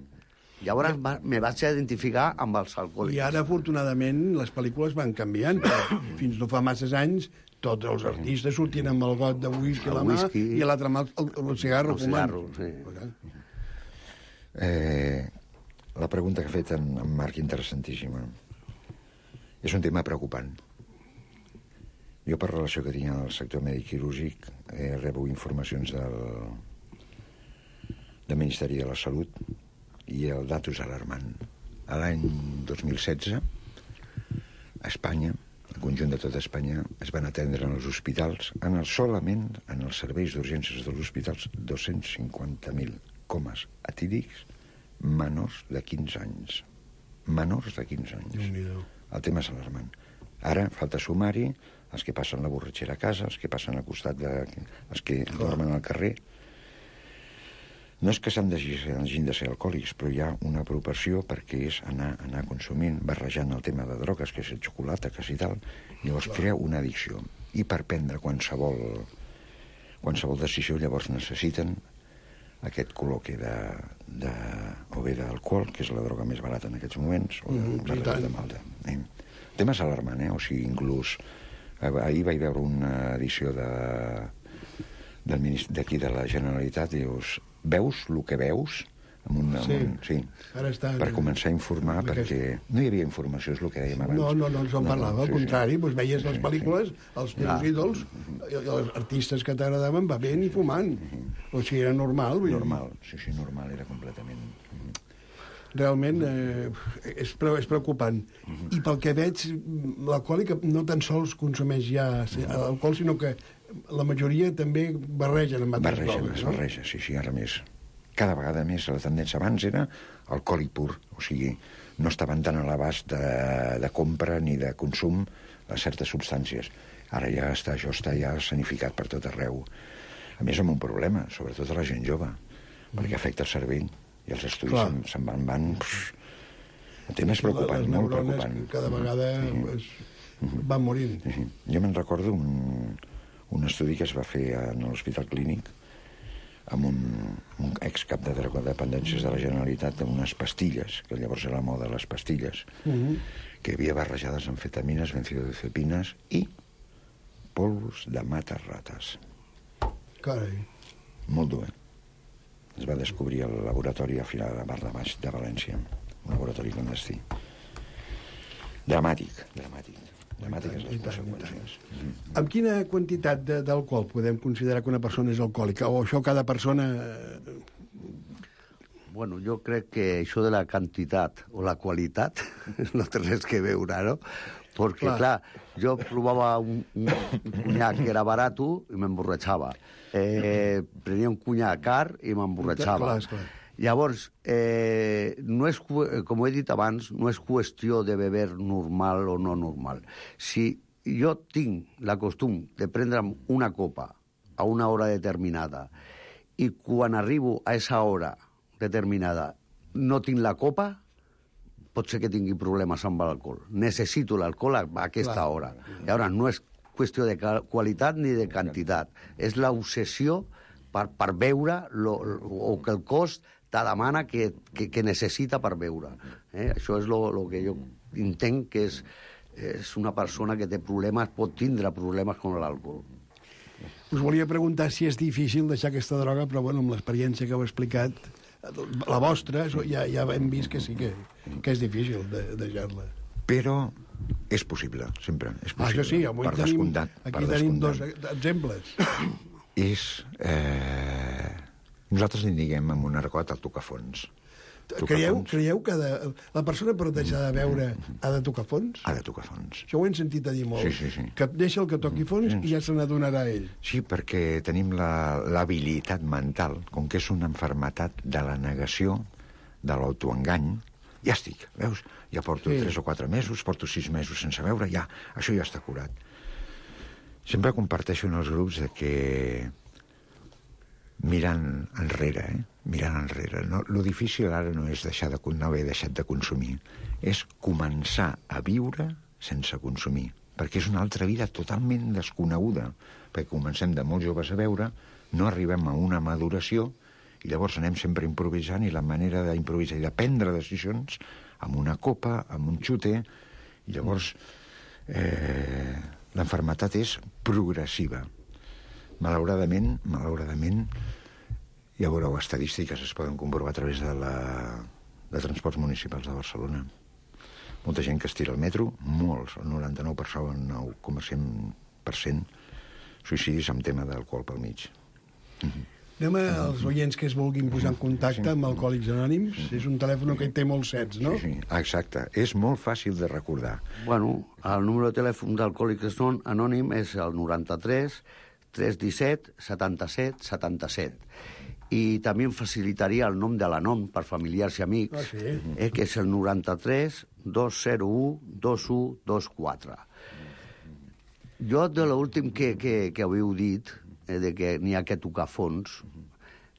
Llavors va, me vaig identificar amb els alcohòlics.
I ara, afortunadament, les pel·lícules van canviant, però fins no fa masses anys tots els artistes sortien amb el got de whisky a la mà i a l'altra mà el, el cigarro.
El cigarro, sí.
Eh, la pregunta que ha fet en, en Marc, interessantíssima. És un tema preocupant. Jo, per relació que tinc al sector mèdic quirúrgic, eh, rebo informacions del, del Ministeri de la Salut i el dato és alarmant. A l'any dos mil setze, a Espanya, el conjunt de tota Espanya, es van atendre en els hospitals, en el, solament en els serveis d'urgències dels hospitals, dos-cents cinquanta mil comes etílics menors de quinze anys. Menors de quinze anys. El tema és alarmant. Ara falta sumar-hi els que passen la borratxera a casa, els que passen al costat de... els que dormen al carrer. No és que s'han de, hagin de ser alcohòlics, però hi ha una preocupació perquè és anar, anar consumint, barrejant el tema de drogues, que és el xocolata, que és i tal, i llavors crea una addicció. I per prendre qualsevol, qualsevol decisió, llavors necessiten aquest col·loque de, de, o bé d'alcohol, que és la droga més barata en aquests moments, o de, mm, la de malta. Eh? El tema és alarmant, eh? O sigui, inclús ahir vaig veure una edició de d'aquí de la Generalitat i dius, veus el que veus amb un, amb
Sí.
un, sí.
Ara està...
Per començar a informar,
amb
perquè
aquest-
no hi havia informació, és el que dèiem abans.
No, no, no ens en parlava, al
sí,
contrari,
sí.
doncs veies les
Sí,
pel·lícules, els teus ídols, i els artistes que t'agradaven bevent i fumant. O sigui, era normal. Vull dir.
Normal, sí, sí, normal, era completament...
Realment eh, és, pre és preocupant. I pel que veig, l'alcohòlic no tan sols consumeix ja alcohol, sinó que la majoria també barregen amb altres
Barreja,
drogues,
es
no?
barreja, sí, sí, ara més. Cada vegada més la tendència abans era alcohòlic pur, o sigui, no estaven tan a l'abast de, de compra ni de consum de certes substàncies. Ara ja està, això està ja sanificat per tot arreu. A més, amb un problema, sobretot a la gent jove, perquè afecta el cervell i els estudis se'n se van... van pff, el tema és preocupant,
les
molt
neurones
preocupant.
cada vegada
Sí.
es van morint.
Sí, sí. Jo me'n recordo un, un estudi que es va fer en l'Hospital Clínic amb un, un excap de drogodependències de la Generalitat d'unes pastilles, que llavors era la moda les pastilles,
Uh -huh.
que hi havia barrejades amfetamines, benzodiazepines i polvos de matar-rates.
Carai.
Molt dur, eh? Es va descobrir al laboratori a final de Mar de Baix de València, un laboratori clandestí. Dramàtic, dramàtic. Dramàtiques les conseqüències.
Amb quina quantitat d'alcohol podem considerar que una persona és alcohòlica? O això cada persona...
Bueno, jo crec que això de la quantitat o la qualitat no té res que veure, no? Perquè, clar, clar jo provava un, un cunyac que era barat i m'emborratxava. Eh, prenia un cunyac car i m'emborratxava.
Clar, clar.
Llavors, eh, no és, com he dit abans, no és qüestió de beber normal o no normal. Si jo tinc la costum de prendre'm una copa a una hora determinada i quan arribo a esa hora determinada no tinc la copa, pot ser que tingui problemes amb l'alcohol. Necessito l'alcohol a aquesta
Clar.
hora. Llavors, no és qüestió de qualitat ni de quantitat. És l'obsessió per, per beure lo, o que el cos te demana que, que, que necessita per beure. Eh? Això és el que jo entenc que és, és una persona que té problemes, pot tindre problemes amb l'alcohol.
Us volia preguntar si és difícil deixar aquesta droga, però bueno, amb l'experiència que heu explicat, la vostra, ja, ja hem vist que sí que, que és difícil de, de deixar-la.
Però és possible, sempre. És possible.
Ah, això sí, avui
per
tenim,
descomptat,
aquí
per
tenim
descomptat.
dos exemples.
És... Eh, nosaltres en diguem amb un argot el tocafons.
Creieu, creieu que de, la persona per deixar de beure ha de tocar fons?
Ha de tocar fons.
Això ho hem sentit a dir molt.
Sí, sí, sí.
Que deixa el que toqui fons
Sí.
i ja se n'adonarà ell.
Sí, perquè tenim l'habilitat la, mental, com que és una enfermetat de la negació, de l'autoengany, ja estic, veus? Ja porto
Sí.
tres o quatre mesos, porto sis mesos sense beure, ja, això ja està curat. Sempre comparteixo en els grups de que mirant enrere, eh? mirant enrere. No, lo difícil ara no és deixar de, no haver deixat de consumir, és començar a viure sense consumir, perquè és una altra vida totalment desconeguda, perquè comencem de molt joves a beure, no arribem a una maduració, i llavors anem sempre improvisant, i la manera d'improvisar i de prendre decisions amb una copa, amb un xute, i llavors eh, l'enfermetat és progressiva. Malauradament, malauradament, ja veureu estadístiques, es poden comprovar a través de, la, de transports municipals de Barcelona. Molta gent que es tira al metro, molts, el noranta-nou coma cinc per cent suïcidis amb tema d'alcohol pel mig. Mm-hmm.
Anem als oients que es vulguin posar en contacte amb Alcohòlics Anònims. És un telèfon que hi té molts sets, no?
Sí, sí, exacte. És molt fàcil de recordar.
Bueno, el número de telèfon d'Alcohòlics Anònims és el noranta-tres tres disset setanta-set setanta-set. I també em facilitaria el nom de la nom per familiars i amics,
Ah, sí?
eh, que és el noranta-tres dos zero u dos u dos quatre. Jo, de l'últim que, que, que haveu dit, eh, de que n'hi ha que tocar fons,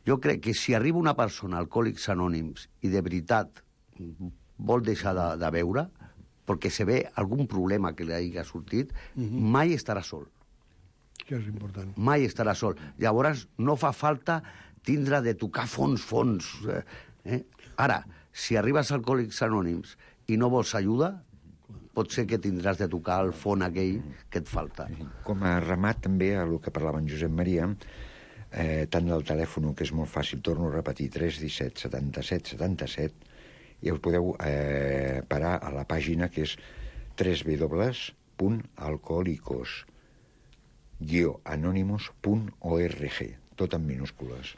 jo crec que si arriba una persona a Alcohòlics Anònims i de veritat vol deixar de, de beure, perquè se ve algun problema que li hagi sortit, uh-huh. mai estarà sol.
Això és important.
Mai estarà sol. Llavors, no fa falta tindre de tocar fons, fons. Eh? Ara, si arribes a Alcohòlics Anònims i no vols ajuda, pot ser que tindràs de tocar el fons aquell que et falta.
Com a remat també a el que parlava en Josep Maria, eh, tant del telèfon, que és molt fàcil, torno a repetir, tres cents i disset setanta-set setanta-set, i us podeu eh, parar a la pàgina que és w w w punt alcohólicos guió anónimos punt org, tot en minúscules,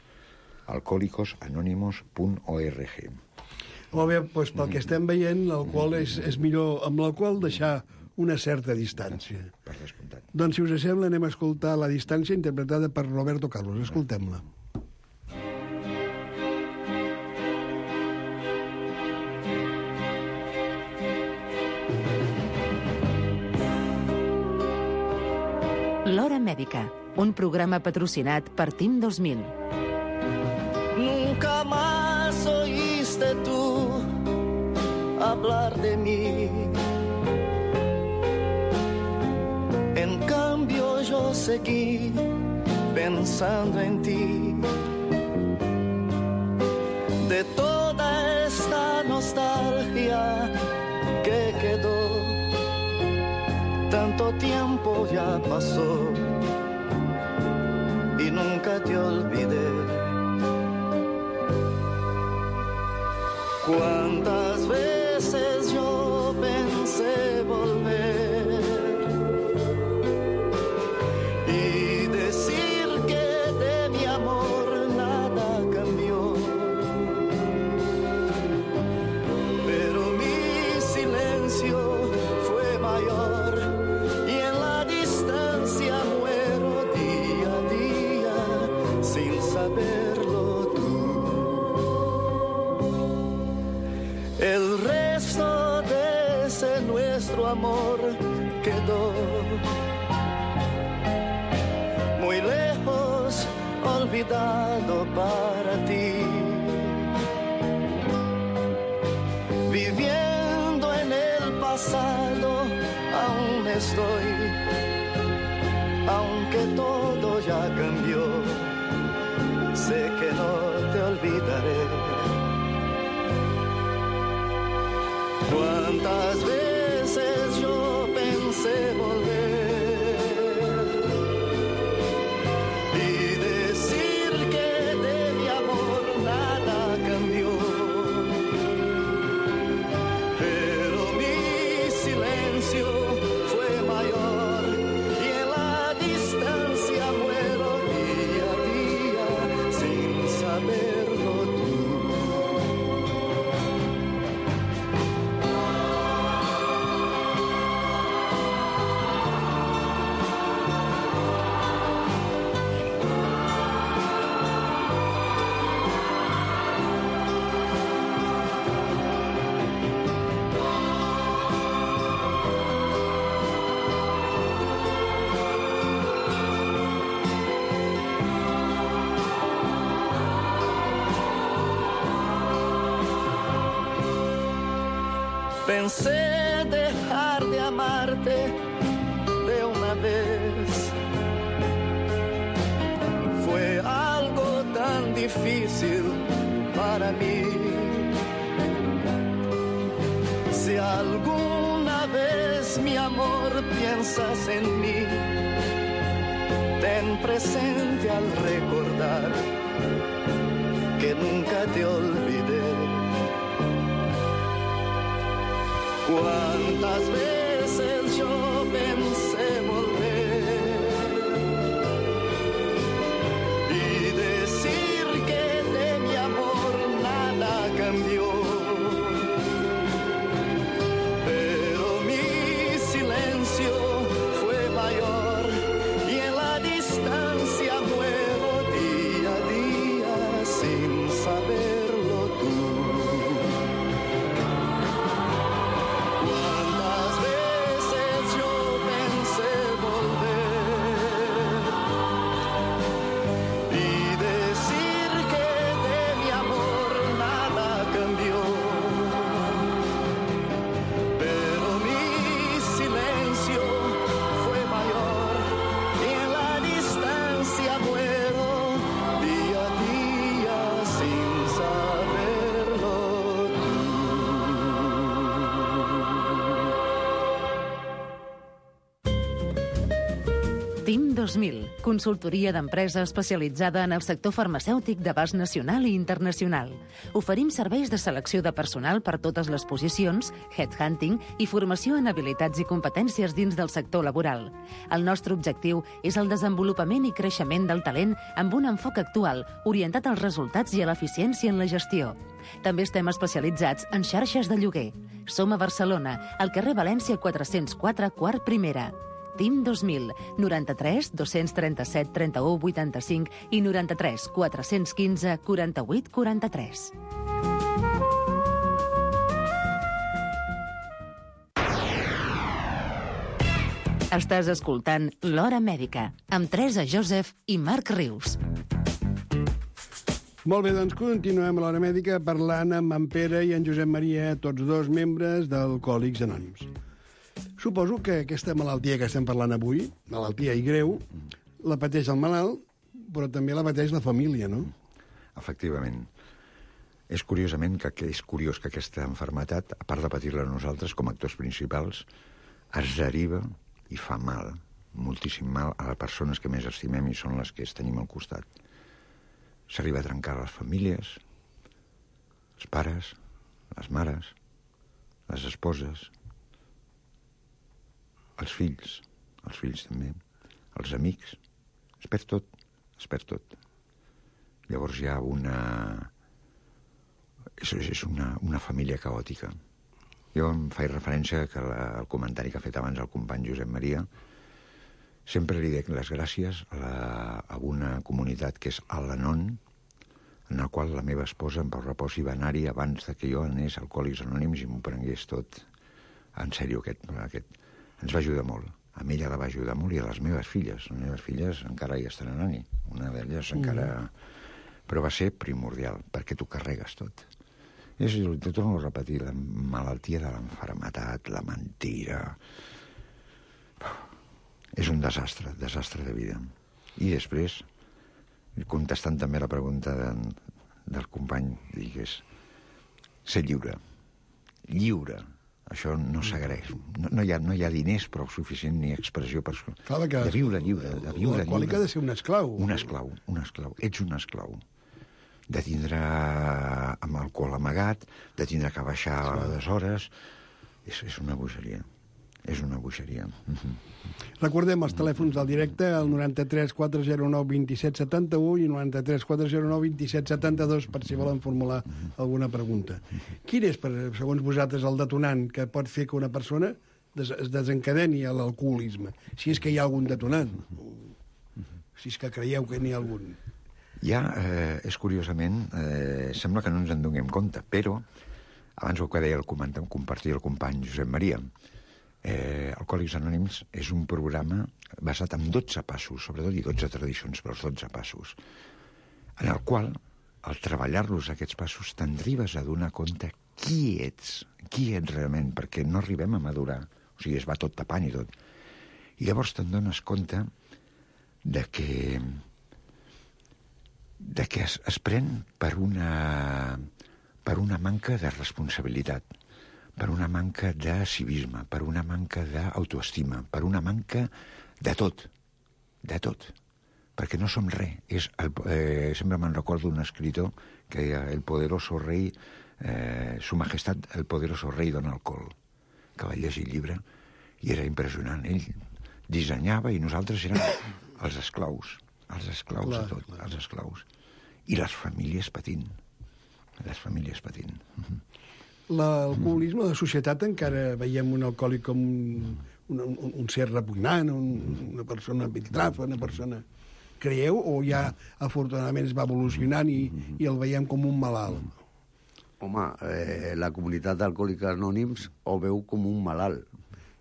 alcohólicos anónimos punt org.
Molt bé, doncs pel que estem veient, l'alcohol és, és millor amb l'alcohol deixar una certa distància.
Per descomptat.
Doncs, si us sembla, anem a escoltar La distància, interpretada per Roberto Carlos. Escoltem-la.
L'Hora Mèdica, un programa patrocinat per Team dos mil.
Nunca más oíste tú hablar de mí. En cambio yo seguí pensando en ti. De toda esta nostalgia que quedó, tanto tiempo ya pasó y nunca te olvidé. Cuántas veces yo pensé volver y decir que de mi amor nada cambió, pero mi silencio fue mayor y en la distancia muero día a día sin saberlo tú. El resto de ese nuestro amor quedó muy lejos, olvidado para ti. Viviendo en el pasado aún estoy, aunque todo ya cambió, sé que no te olvidaré. Cuántas veces yo pensé volver y decir que de mi amor nada cambió, pero mi silencio fue mayor y en la distancia muero día a día sin saberlo tú. Pensé dejar de amarte de una vez. Fue algo tan difícil para mí. Si alguna vez, mi amor, piensas en mí, ten presente al recordar que nunca te olvidé. Cuántas veces yo pensé volver y decir que de mi amor nada cambió, pero mi silencio fue mayor y en la distancia muero día a día sin saberlo tú. Cuántas veces yo pensé
T I M dos mil, consultoria d'empresa especialitzada en el sector farmacèutic d'abast nacional i internacional. Oferim serveis de selecció de personal per totes les posicions, headhunting i formació en habilitats i competències dins del sector laboral. El nostre objectiu és el desenvolupament i creixement del talent amb un enfoc actual, orientat als resultats i a l'eficiència en la gestió. També estem especialitzats en xarxes de lloguer. Som a Barcelona, al carrer València quatre-cents quatre, quart primera. T I M dos mil, noranta-tres dos-cents trenta-set trenta-u vuitanta-cinc i noranta-tres quatre-cents quinze quaranta-vuit quaranta-tres. Estàs escoltant L'Hora Mèdica, amb Teresa Joseph i Marc Rius.
Molt bé, doncs continuem a l'Hora Mèdica parlant amb en Pere i en Josep Maria, tots dos membres d'Alcohòlics Anònims. Suposo que aquesta malaltia que estem parlant avui, malaltia i greu, la pateix el malalt, però també la pateix la família, no?
Efectivament. És curiosament que, que és curiós que aquesta malaltia, a part de patir-la nosaltres com a actors principals, es deriva i fa mal, moltíssim mal, a les persones que més estimem i són les que es tenim al costat. S'arriba a trencar les famílies, els pares, les mares, les esposes, els fills, els fills també, els amics, es perd tot, es perd tot. Llavors hi ha una... És, és una, una família caòtica. Jo em faig referència que la, el comentari que ha fet abans el company Josep Maria, sempre li dic les gràcies a, la, a una comunitat que és Al-Anon, en la qual la meva esposa, en Pau Repòs, hi va anar-hi abans de que jo anés a Alcohòlics Anònims i m'ho prengués tot en sèrio. Aquest, aquest. Ens va ajudar molt. A mi ella la va ajudar molt i a les meves filles. Les meves filles encara hi estan anant-hi. Una d'elles encara... Però va ser primordial, perquè t'ho carregues tot. És, t'ho torno a repetir, la malaltia de l'enfermetat, la mentira... És un desastre, desastre de vida. I després, contestant també la pregunta de, del company, digués, ser lliure. Lliure. Això no s'agraeix. No, no, hi ha, no hi ha diners prou suficient ni expressió per...
Clar, que
de viure lliure, de viure
l'alcohòlic
lliure.
ha de ser un esclau.
Un esclau, un esclau. Ets un esclau. De tindre amb alcohol amagat, de tindre que baixar a les hores... És, és una bogeria. És una bogeria.
Recordem els telèfons del directe, el noranta-tres quatre zero nou vint set setanta-u i noranta-tres quatre zero nou vint set setanta-dos per si volen formular alguna pregunta. Quin és, per, segons vosaltres, el detonant que pot fer que una persona des, es desencadeni a l'alcoholisme? Si és que hi ha algun detonant. Si és que creieu que n'hi ha algun.
Ja, eh, és curiosament, eh, sembla que no ens en donem compte, però abans el que deia el comentar, compartir el company Josep Maria, eh, Alcohòlics Anònims és un programa basat en dotze passos, sobretot, i dotze tradicions, però els dotze passos, en el qual, al treballar-los aquests passos, t'arribes a donar compte qui ets, qui ets realment, perquè no arribem a madurar, o sigui, es va tot tapant i tot. I llavors te'n dones compte de que de que es, es pren per una, per una manca de responsabilitat, per una manca de civisme, per una manca d'autoestima, per una manca de tot, de tot, perquè no som res. És el, eh, sempre me'n recordo un escritor que deia el poderoso rei, eh, su majestat, el poderoso rei Don Alcohol, que va llegir el llibre, i era impressionant. Ell dissenyava i nosaltres érem els esclaus, els esclaus clar, de tot, clar. Els esclaus. I les famílies patint, les famílies patint.
L'alcoholisme de societat encara veiem un alcohòlic com un, un, un, un ser repugnant, un, una persona piltrafa, una persona... Creieu? O ja, afortunadament, es va evolucionant i, i el veiem com un malalt?
Home, eh, la comunitat d'Alcohòlics Anònims ho veu com un malalt.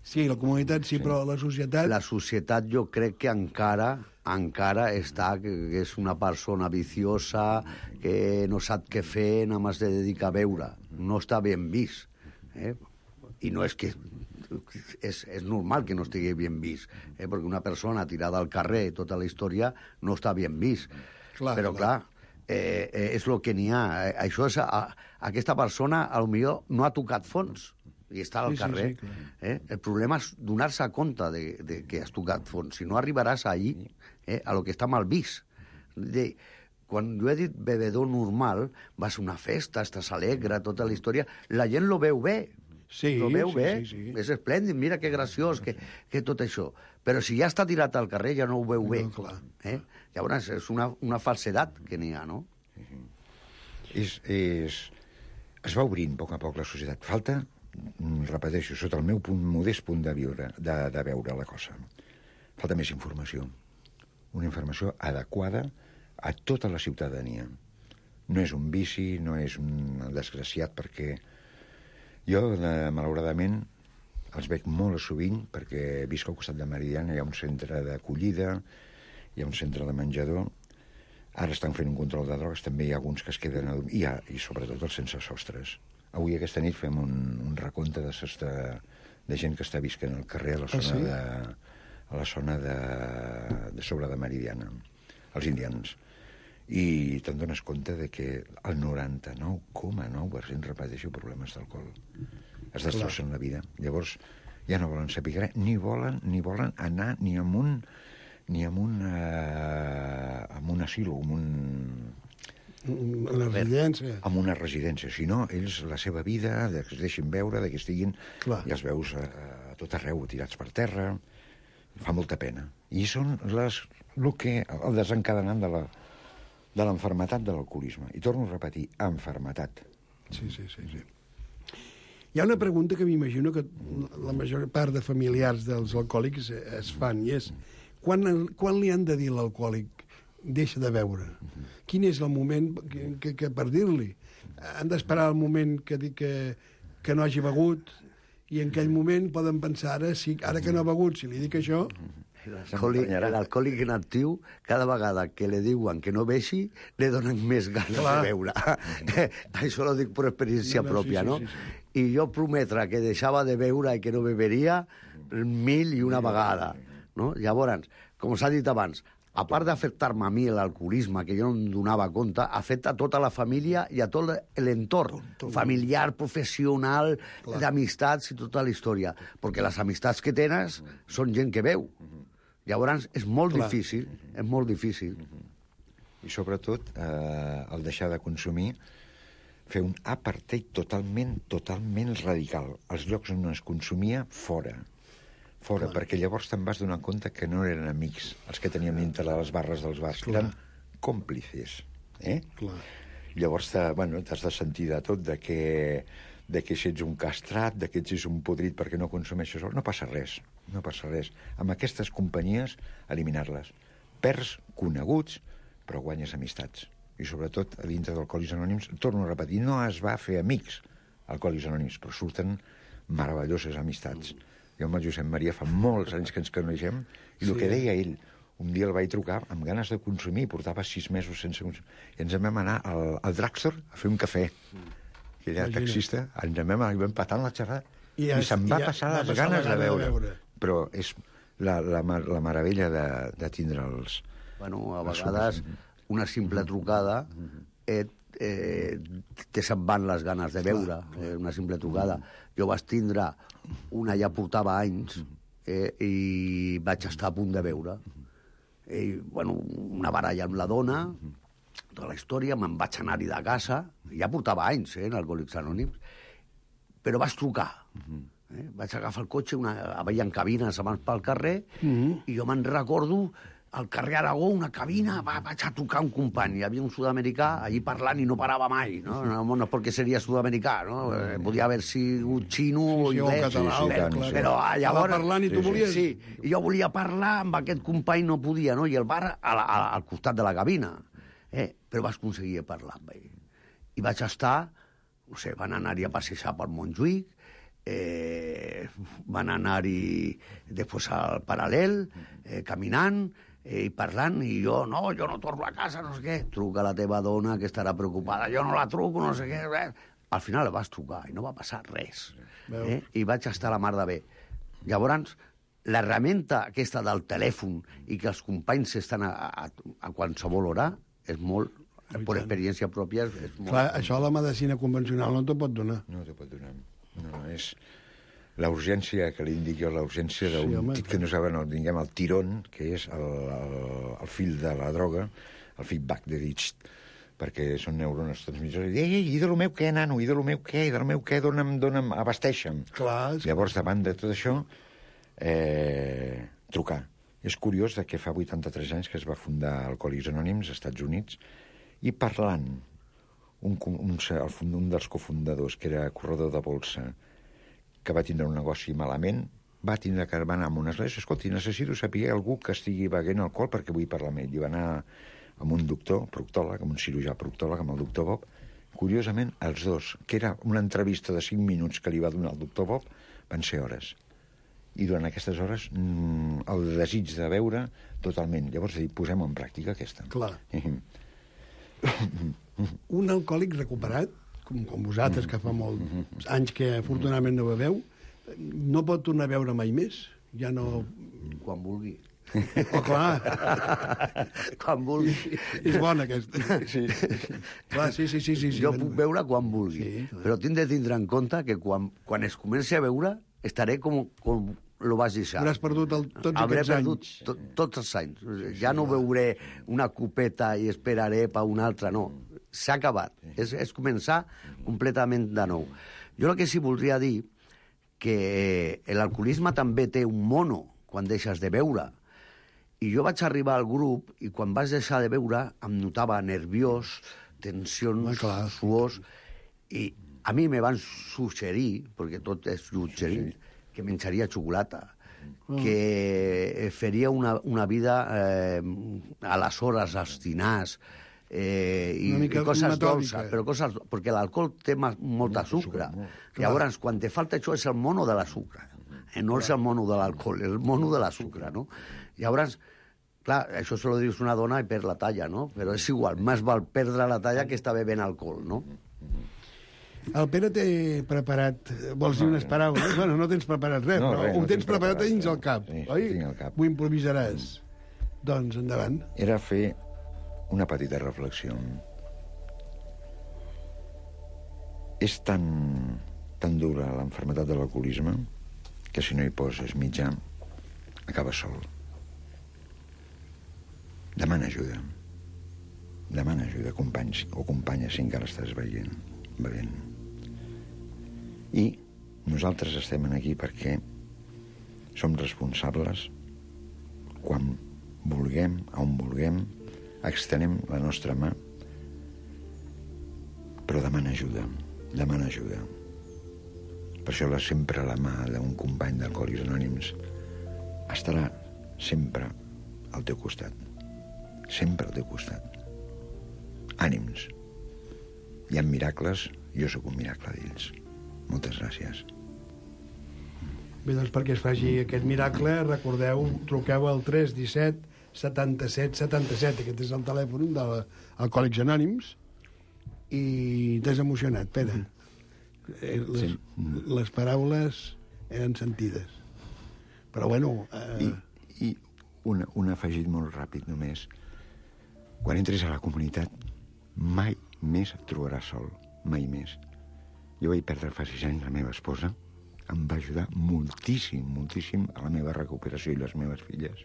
Sí, la comunitat sí, sí, però la societat...
La societat jo crec que encara encara està, que, que és una persona viciosa, que no sap què fer, només de dedicar a beure. No està ben vist. Eh? I no és que... És, és normal que no estigui ben vist, eh? Perquè una persona tirada al carrer, tota la història, no està ben vist. Clar, però, clar, clar eh, eh, és el que n'hi ha. Això és... A, aquesta persona, potser no ha tocat fons, i està al
Sí, sí,
carrer.
sí, clar.
eh? El problema és donar-se compte de, de que has tocat fons. Si no arribaràs allí, eh, a lo que està mal vist. De, quan jo he dit bebedor normal, vas a una festa, estàs alegre, tota la història, la gent lo veu bé.
Sí,
lo veu
sí,
bé,
sí, sí.
és esplèndid, mira que graciós, que, que tot això. Però si ja està tirat al carrer ja no ho veu bé.
No, clar.
Eh? Llavors és una, una falsedat que n'hi ha, no?
És, és... Es va obrint a poc a poc la societat. Falta, repeteixo, sota el meu punt, modest punt de, viure, de, de veure la cosa, falta més informació. Una informació adequada a tota la ciutadania. No és un vici, no és un desgraciat, perquè jo, de, malauradament, els veig molt sovint, perquè visc al costat de Meridiana, hi ha un centre d'acollida, hi ha un centre de menjador, ara estan fent un control de drogues, també hi ha alguns que es queden a dormir, i, ha, i sobretot els sense sostres. Avui aquesta nit fem un, un recompte de, sostre, de gent que està visquent al carrer a la zona, ah, sí? de, a la zona de, de sobre de Meridiana, els indians. I te'n dones compte de que el noranta-nou coma nou per cent repeteixo problemes d'alcohol. Es destrossen la vida. Llavors ja no volen saber res, ni volen, ni volen anar ni amb un ni amb un, eh, amb un asilo, amb un...
Una residència.
Amb una residència, sinó ells la seva vida, de que es deixin veure, de que estiguin... Clar. I els veus a, a tot arreu, tirats per terra, fa molta pena. I són les, el, que, el desencadenant de la de l'enfermetat de l'alcoholisme. I torno a repetir, enfermetat.
Sí, sí, sí, sí. Hi ha una pregunta que m'imagino que la major part de familiars dels alcohòlics es fan, i és quan, quan li han de dir a l'alcohòlic deixa de beure? Quin és el moment que, que, que per dir-li? Han d'esperar el moment que, que, que no hagi begut, i en aquell moment poden pensar, ara, si, ara que no ha begut, si li dic això...
L'alcohòlic inactiu, cada vegada que li diuen que no beixi, li donen més ganes Clar. de beure. Això ho dic per experiència no, no, pròpia, sí, sí, no? Sí, sí. I jo prometre que deixava de beure i que no beberia mil i una vegada. No? Llavors, com s'ha dit abans, a part d'afectar-me a mi l'alcoholisme, que jo no em donava compte, afecta a tota la família i a tot l'entorn, familiar, professional, d'amistats i tota la història. Perquè les amistats que tens són gent que veu. Llavors, és molt Clar. difícil, és molt difícil.
I sobretot, eh, el deixar de consumir, fer un apartheid totalment, totalment radical. Els llocs on es consumia, fora. Fora, Clar. perquè llavors te'n vas donar compte que no eren amics els que tenien dintre les barres dels bars, Clar. eren còmplices. Eh?
Clar.
Llavors, bueno, t'has de sentir de tot, de que... de que si ets un castrat, de que ets un podrit perquè no consumeixes... No passa res, no passa res. Amb aquestes companyies, eliminar-les. Perds coneguts, però guanyes amistats. I sobretot, a dintre d'Alcohòlics Anònims, torno a repetir, no es va fer amics Alcohòlics Anònims, però surten meravelloses amistats. Jo amb el Josep Maria fa molts anys que ens coneixem, i sí. el que deia ell, un dia el vaig trucar amb ganes de consumir, portava sis mesos sense consumir, i ens vam anar al, al drugstore a fer un cafè. Que ella era taxista, ens vam anar i vam patar la xerrada, i, i se'm va passar les va ganes de veure. de veure. Però és la, la, la meravella de, de tindre els...
Bueno, a vegades una simple trucada et, eh, te se'n van les ganes de veure, eh, una simple trucada. Jo vaig tindre una, ja portava anys, eh, i vaig estar a punt de veure. I, bueno, una baralla amb la dona, tota la història, me'n vaig anar-hi de casa, ja portava anys, eh, en Alcohòlics Anònims, però vaig trucar. Eh? Vaig agafar el cotxe, una, hi ha cabines abans pel carrer, uh -huh. i jo me'n recordo, al carrer Aragó, una cabina, va, vaig a trucar un company, hi havia un sud-americà allí parlant i no parava mai, no? No, no és perquè seria sud-americà, no? Eh, podia haver sigut xino o
sí, sí,
anglès,
o català,
sí,
clar,
però,
clar.
però llavors...
parlant i tu volies...
Sí, i jo volia parlar, amb aquest company no podia, no? I el bar a la, a, al costat de la cabina. Eh, però vaig aconseguir parlar amb ell. I vaig estar, no sé, van anar-hi a passejar per Montjuïc, eh, van anar-hi després al Paral·lel, eh, caminant, eh, i parlant, i jo, no, jo no torno a casa, no sé què. Truca la teva dona, que estarà preocupada, jo no la truco, no sé què. Res. Al final la vas trucar i no va passar res. Eh? I vaig estar a la mar de bé. Llavors, l'herramienta aquesta del telèfon i que els companys estan a, a, a qualsevol hora és molt, per experiència pròpia, és molt...
Clar, això la medicina convencional no t'ho pot donar.
No t'ho pot donar. No, no, és la urgència, que li dic jo, la urgència d'un
Sí, home.
tit que no saben, el, diguem, el tirón, que és el, el, el fill de la droga, el feedback de dir, perquè són neurones transmissors, i ei, ei, i de lo meu què, nano, i de lo meu què, i de lo meu què, dona'm, dona'm, abasteixa'm.
Clar.
Llavors, davant de tot això, eh, trucar. És curiós de que fa vuitanta-tres anys que es va fundar Alcohòlics Anònims als Estats Units, i parlant, un, un, un, un dels cofundadors, que era corredor de bolsa, que va tindre un negoci malament, va tindre que anar a una església, escolti, necessito saber algú que estigui beguent alcohol perquè vull parlar amb ell. I va anar amb un doctor, proctòleg, amb un cirurgià proctòleg, amb el doctor Bob. Curiosament, els dos, que era una entrevista de cinc minuts que li va donar el doctor Bob, van ser hores. I durant aquestes hores, el desig de beure, totalment. Llavors, posem en pràctica aquesta.
Clar. Un alcohòlic recuperat, com, com vosaltres, que fa molts anys que afortunadament no beveu, no pot tornar a beure mai més. Ja no...
Quan vulgui.
Oh, clar.
Quan vulgui.
És bona, aquesta. Sí. Clar, sí, sí, sí, sí, sí.
Jo puc beure quan vulgui, sí, però tinc de tindre en compte que quan, quan es comenci a beure estaré com, com lo vas deixar.
Hauràs perdut el, tots
Hauré
aquests
perdut
anys.
to, tots els anys. Ja no beuré una copeta i esperaré per una altra, no. S'ha acabat. És, és començar completament de nou. Jo el que sí voldria dir que l'alcoholisme també té un mono quan deixes de beure. I jo vaig arribar al grup i quan vaig deixar de beure em notava nerviós, tensions,
ah,
suors, i a mi me van suggerir, perquè tot és suggerir, sí, sí, que menjaria xocolata, oh, que faria una, una vida eh, a les hores, als dinars, eh, i, i coses dolces, però coses, perquè l'alcohol té ma, molta sucre. Llavors, quan te falta això és el mono de la sucre, eh, no és el mono de l'alcohol, és el mono de la sucre, no? Llavors, clar, això se lo dius una dona i perd la talla, no? Però és igual, més val perdre la talla que estar bevent alcohol, no?
El Pere té preparat... Vols dir unes paraules? Bueno, no tens preparat res,
no,
però
res,
ho
no
tens preparat
preparat
dins el cap,
sí,
oi?
Tinc el cap.
Ho improvisaràs. Doncs, endavant.
Era fer una petita reflexió. És tan, tan dura l'enfermetat de l'alcoholisme que si no hi poses mitjà, acaba sol. Demana ajuda. Demana ajuda, companys o companyes, si encara estàs veient, bevent. I nosaltres estem aquí perquè som responsables quan vulguem, on vulguem, extenem la nostra mà, però demana ajuda, demana ajuda. Per això la, sempre la mà d'un company d'Alcohòlics Anònims estarà sempre al teu costat. Sempre al teu costat. Ànims. Hi ha miracles, jo sóc un miracle d'ells. Moltes gràcies.
Bé, doncs perquè es faci aquest miracle, recordeu, truqueu al tres disset setanta-set setanta-set. Aquest és el telèfon de l'Alcohòlics Anònims. I t'has emocionat, Pere. Eh, les, sí. les paraules eren sentides. Però, bueno... Eh...
I, i un, un afegit molt ràpid, només. Quan entres a la comunitat, mai més et trobaràs sol. Mai més. Jo vaig perdre fa sis anys la meva esposa. Em va ajudar moltíssim, moltíssim a la meva recuperació i les meves filles.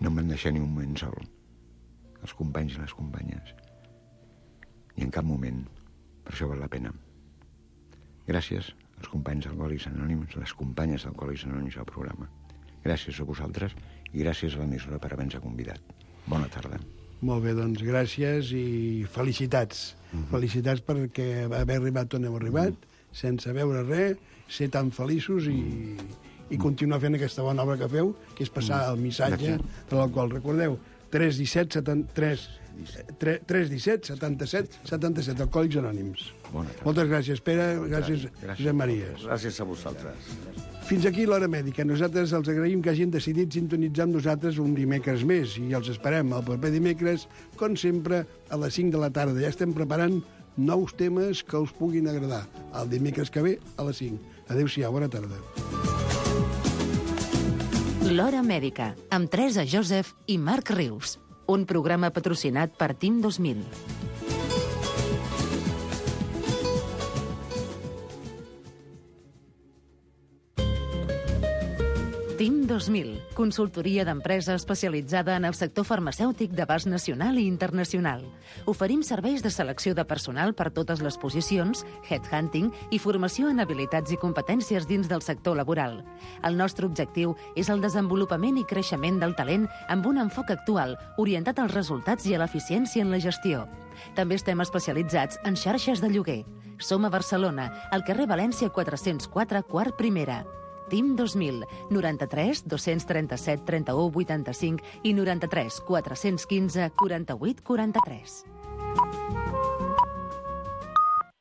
No em van deixar ni un moment sol. Els companys i les companyes. I en cap moment. Per això val la pena. Gràcies als companys d'Alcohòlics Anònims, les companyes d'Alcohòlics Anònims al programa. Gràcies a vosaltres i gràcies a l'emissora per haver-nos convidat. Bona tarda.
Molt bé, doncs gràcies i felicitats. Mm-hmm. Felicitats perquè haver arribat on heu arribat, mm-hmm. sense veure res, ser tan feliços i, i continuar fent aquesta bona obra que feu, que és passar el missatge de l'alcohol. Recordeu, tres disset setanta-set setanta-set, Alcohòlics Anònims. Moltes gràcies, Pere, gràcies, Josep Maria.
Gràcies a vosaltres.
Fins aquí l'Hora Mèdica. Nosaltres els agraïm que hagin decidit sintonitzar amb nosaltres un dimecres més i els esperem el proper dimecres, com sempre, a les cinc de la tarda. Ja estem preparant nous temes que us puguin agradar. El dimecres que ve, a les cinc. Adéu-siau, bona tarda.
L'Hora Mèdica, amb Teresa Joseph i Marc Rius. Un programa patrocinat per Team dos mil. Team dos mil, consultoria d'empresa especialitzada en el sector farmacèutic d'abast nacional i internacional. Oferim serveis de selecció de personal per totes les posicions, headhunting i formació en habilitats i competències dins del sector laboral. El nostre objectiu és el desenvolupament i creixement del talent amb un enfoc actual, orientat als resultats i a l'eficiència en la gestió. També estem especialitzats en xarxes de lloguer. Som a Barcelona, al carrer València quatre-cents quatre, quart primera. Team dos mil, noranta-tres dos-cents trenta-set trenta-u vuitanta-cinc i noranta-tres quatre-cents quinze quaranta-vuit quaranta-tres.